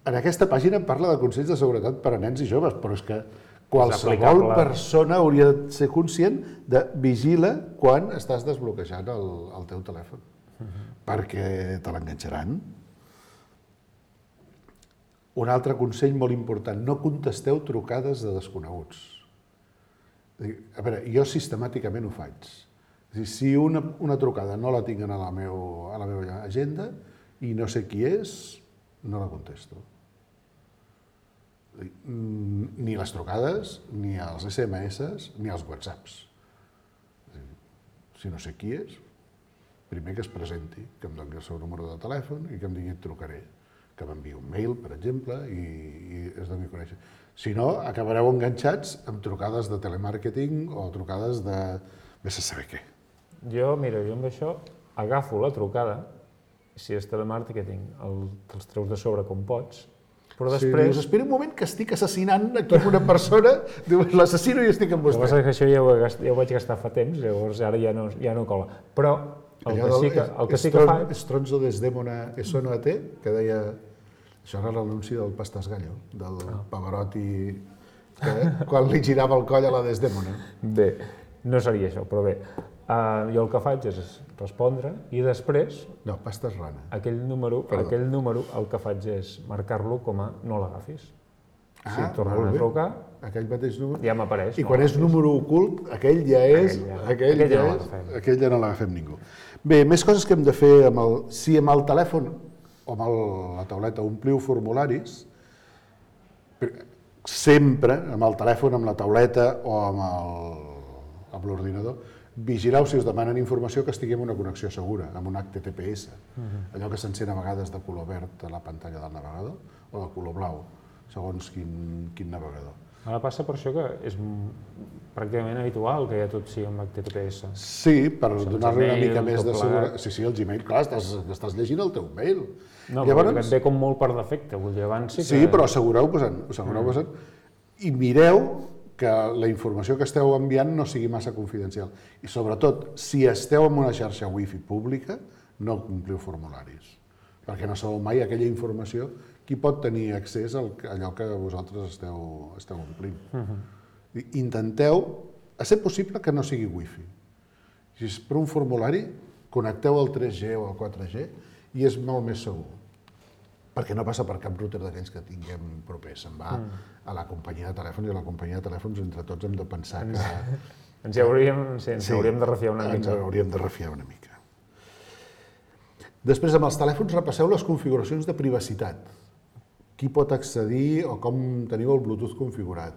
en aquesta pàgina parla de consells de seguretat per a nens i joves, però és que qualsevol persona hauria de ser conscient de vigila quan estàs desbloquejant el teu telèfon, perquè te l'enganxaran. Un altre consell molt important, no contesteu trucades de desconeguts. A veure, jo sistemàticament ho faig. Si una trucada no la tinc a la meva agenda i no sé qui és, no la contesto. Ni les trucades, ni els SMS, ni els WhatsApps. Si no sé qui és, primer que es presenti, que em doni el seu número de telèfon i que em digui et trucaré, que m'enviï un mail, per exemple, i es doni a conèixer. Si no, acabareu enganxats amb trucades de telemàrqueting o trucades de vés a saber què. Jo amb això agafo la trucada, si és telemàrqueting, te'ls treus de sobre com pots, però després... Dius, espera un moment que estic assassinant aquí una persona, dius, l'assassino i estic amb vostè. El que passa és que això ja ho vaig gastar fa temps, llavors ara ja no cola. Però el que sí que faig... Stronzo Desdemona e sono a te, que deia... Això era l'anunci del Pastas Gallo, del Pavarotti, que quan li girava el coll a la Desdemona. Bé, no seria això, però bé. Jo el que faig és respondre i després... No, Pastas Rana. Aquell número el que faig és marcar-lo com a no l'agafis. Si tornen a trucar, aquell mateix número... ja m'apareix. I quan és número ocult, aquell ja no l'agafem ningú. Bé, més coses que hem de fer si amb el telèfon o amb la tauleta ompliu formularis, sempre amb el telèfon, amb la tauleta o amb l'ordinador, vigileu si us demanen informació que estigui en una connexió segura, amb un HTTPS, allò que s'encén a vegades de color verd a la pantalla del navegador o de color blau, segons quin navegador. Ara passa per això que és pràcticament habitual que ja tot sigui amb HTTPS. Sí, per donar-li una mica més de seguretat. Sí, el Gmail, clar, estàs llegint el teu mail. No, però et ve com molt per defecte, vull dir, abans sí que... Sí, però assegureu-vos i mireu que la informació que esteu enviant no sigui massa confidencial. I sobretot, si esteu en una xarxa wifi pública, no ompliu formularis, perquè no sabeu mai aquella informació qui pot tenir accés a allò que vosaltres esteu omplint. Intenteu, a ser possible, que no sigui wifi. Si és per un formulari, connecteu el 3G o el 4G i és molt més segur, perquè no passa per cap router d'aquells que tinguem propers. Se'n va a la companyia de telèfons i a la companyia de telèfons entre tots hem de pensar que... Ens hauríem de refiar una mica. Ens hauríem de refiar una mica. Després, amb els telèfons, repasseu les configuracions de privacitat. Qui pot accedir o com teniu el Bluetooth configurat,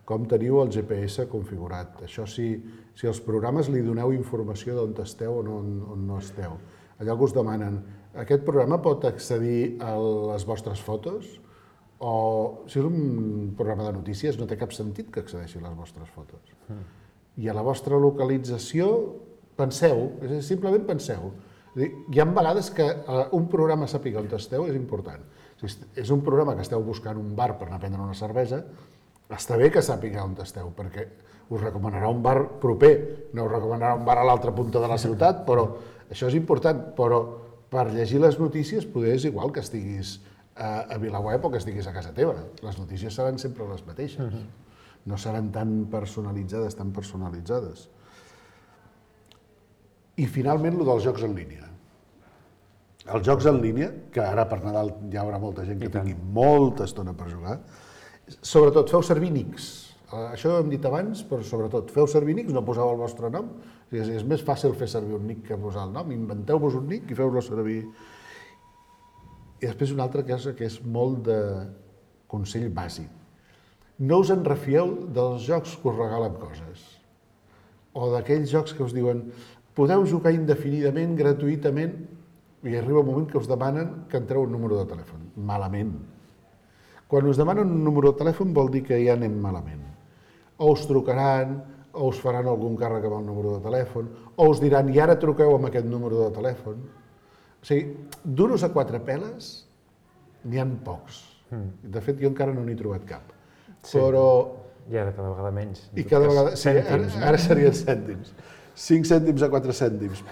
com teniu el GPS configurat. Això si els programes li doneu informació d'on esteu o on no esteu. Allò que us demanen, aquest programa pot accedir a les vostres fotos? O si és un programa de notícies no té cap sentit que accedeixi a les vostres fotos. I a la vostra localització penseu, simplement penseu. Hi ha vegades que un programa sàpiga on esteu és important. Si és un programa que esteu buscant un bar per anar a prendre una cervesa, està bé que sàpiga on esteu, perquè us recomanarà un bar proper, no us recomanarà un bar a l'altra punta de la ciutat, però això és important. Però per llegir les notícies poder és igual que estiguis a VilaWeb o que estiguis a casa teva. Les notícies seran sempre les mateixes. No seran tan personalitzades. I finalment, el dels jocs en línia. Els jocs en línia, que ara per Nadal hi haurà molta gent que tingui molta estona per jugar, sobretot feu servir nics. Això ho hem dit abans, però sobretot feu servir nics, no poseu el vostre nom. És més fàcil fer servir un nick que posar el nom. Inventeu-vos un nick i feu-lo servir. I després una altra cosa que és molt de consell bàsic. No us en refieu dels jocs que us regalen coses. O d'aquells jocs que us diuen podeu jugar indefinidament, gratuïtament, i arriba un moment que us demanen que entreu un número de telèfon. Malament. Quan us demanen un número de telèfon vol dir que ja anem malament. O us trucaran, o us faran algun càrrec amb el número de telèfon, o us diran i ara truqueu amb aquest número de telèfon. O sigui, d'unos a 4 peles n'hi ha pocs. De fet, jo encara no n'he trobat cap. Però... I ara cada vegada menys. I cada vegada... Sí, ara serien cèntims. 5 cèntims a 4 cèntims.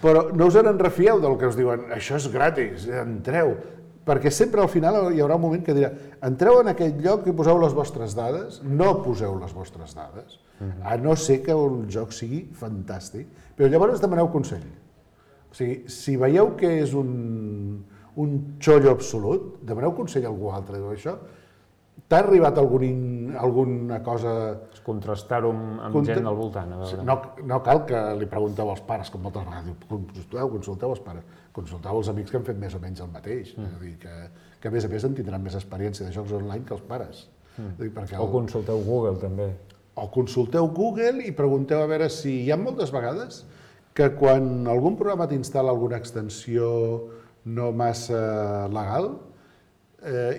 Però no us en refieu del que us diuen això és gratis, entreu. Perquè sempre al final hi haurà un moment que dirà entreu en aquest lloc i poseu les vostres dades, no poseu les vostres dades, a no ser que el joc sigui fantàstic. Però llavors demaneu consell. O sigui, si veieu que és un xollo absolut, demaneu consell a algú altre. Això t'ha arribat alguna cosa... Contrastar-ho amb gent al voltant. No cal que li pregunteu als pares, com moltes vegades diu, consulteu els pares, consulteu els amics que han fet més o menys el mateix. És a dir, que a més en tindran més experiència de jocs online que els pares. O consulteu Google, també. O consulteu Google i pregunteu a veure si hi ha moltes vegades que quan algun programa t'instal·la alguna extensió no massa legal,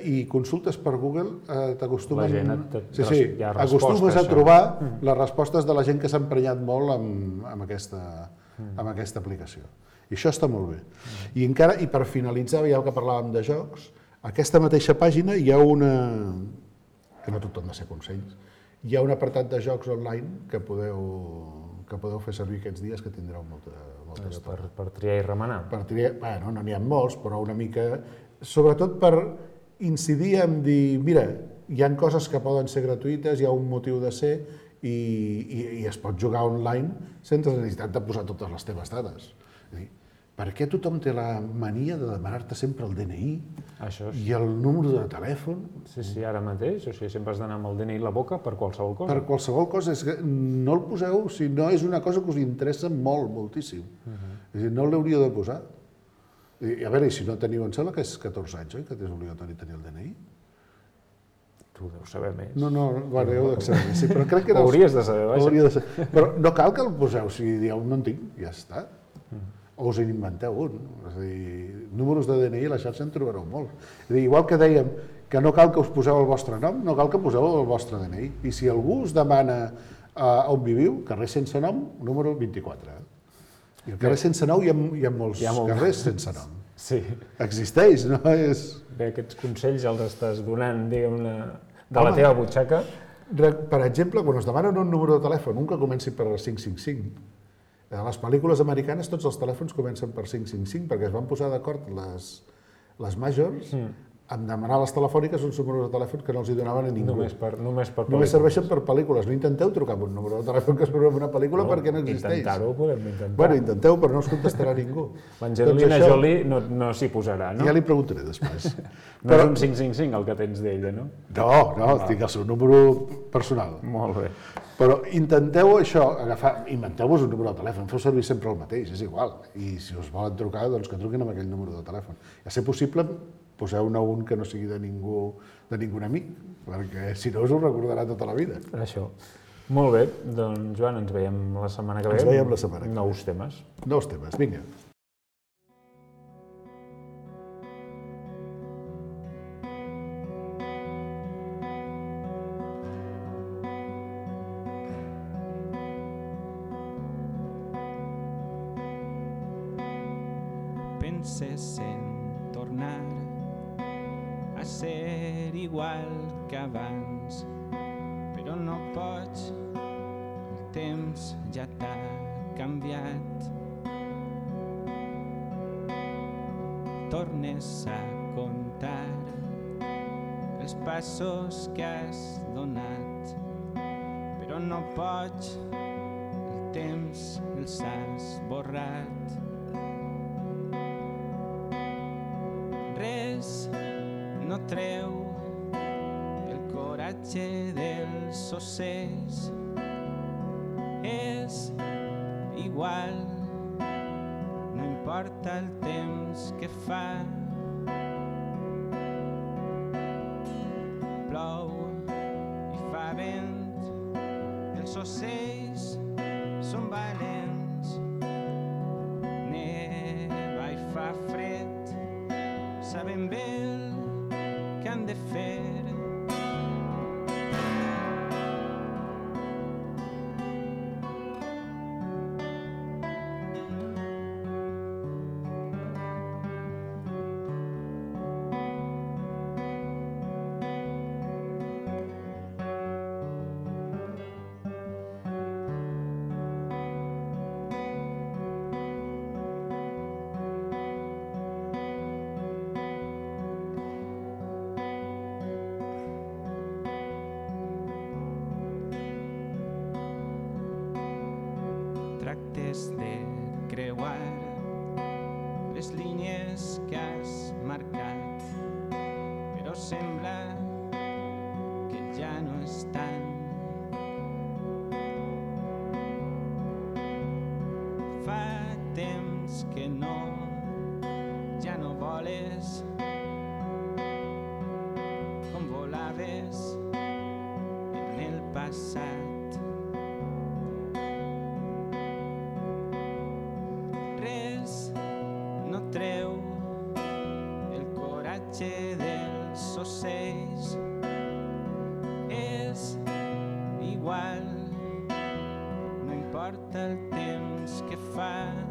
i consultes per Google, t'acostumen... acostumes a trobar les respostes de la gent que s'ha emprenyat molt amb aquesta aplicació. I això està molt bé. I per finalitzar, ja que parlàvem de jocs, a aquesta mateixa pàgina hi ha una... que no tot han de ser consells. Hi ha un apartat de jocs online que podeu fer servir aquests dies, que tindreu molta estona. Per triar i remenar. Per triar, bueno, no n'hi ha molts, però una mica... Sobretot per incidir en dir, mira, hi ha coses que poden ser gratuïtes, hi ha un motiu de ser i es pot jugar online sense necessitat de posar totes les teves dades. És a dir, per què tothom té la mania de demanar-te sempre el DNI i el número de telèfon? Sí, ara mateix. O sigui, sempre has d'anar amb el DNI a la boca per qualsevol cosa. Per qualsevol cosa. És que no el poseu si no és una cosa que us interessa moltíssim. És a dir, no l'hauríeu de posar. I a veure, i si no teniu, em sembla que és 14 anys, oi? Que és obligatori tenir el DNI? Tu deus saber més. No, bueno, heu de saber més, sí, però crec que... Ho hauries de saber, vaja. Però no cal que el poseu, si dieu no en tinc, ja està. O us inventeu un. És a dir, números de DNI a la xarxa en trobareu molt. És a dir, igual que dèiem que no cal que us poseu el vostre nom, no cal que poseu el vostre DNI. I si algú us demana on viviu, carrer sense nom, número 24. I al carrer sense nom hi ha molts carrers sense nom. Sí. Existeix, no és... Bé, aquests consells els estàs donant, diguem-ne, de la teva butxaca. Per exemple, quan us demanen un número de telèfon, un que comenci per 555, a les pel·lícules americanes tots els telèfons comencen per 555 perquè es van posar d'acord les majors en demanar a les telefòniques uns números de telèfon que no els hi donaven a ningú. Només per pel·lícules. Només serveixen per pel·lícules. No intenteu trucar amb un número de telèfon que surt en una pel·lícula perquè no existeix. Intentar-ho podem intentar. Bueno, intenteu, però no us contestarà ningú. L'Angelina Jolie no s'hi posarà, no? Ja li preguntaré després. No és un 555 el que tens d'ella, no? No, tinc el seu número personal. Molt bé. Però intenteu això, inventeu-vos un número de telèfon, feu servir sempre el mateix, és igual. I si us volen trucar, doncs que truquin amb aquell número de telèfon. A ser possible, poseu-ne un que no sigui de ningun amic, perquè si no us ho recordarà tota la vida. Això. Molt bé, doncs Joan, ens veiem la setmana que ve. Ens veiem la setmana que ve. Nous temes. Nous temes, vinga. Penses en tornar a ser igual que abans, però no pots, el temps ja t'ha canviat. Tornes a comptar els passos que has donat, però no pots, el temps els ha esborrat. Res no treu el coratge dels ocells, és igual, no importa el temps que fa. Plou i fa vent, els ocells són valents. Neva i fa fred, saben bé el que han de fer. Tractes de creuar les línies que has marcat, però sembla que ja no estan. Fa temps que ja no voles com volaves en el passat. Treu el coratge dels ocells, és igual, no importa el temps que fa.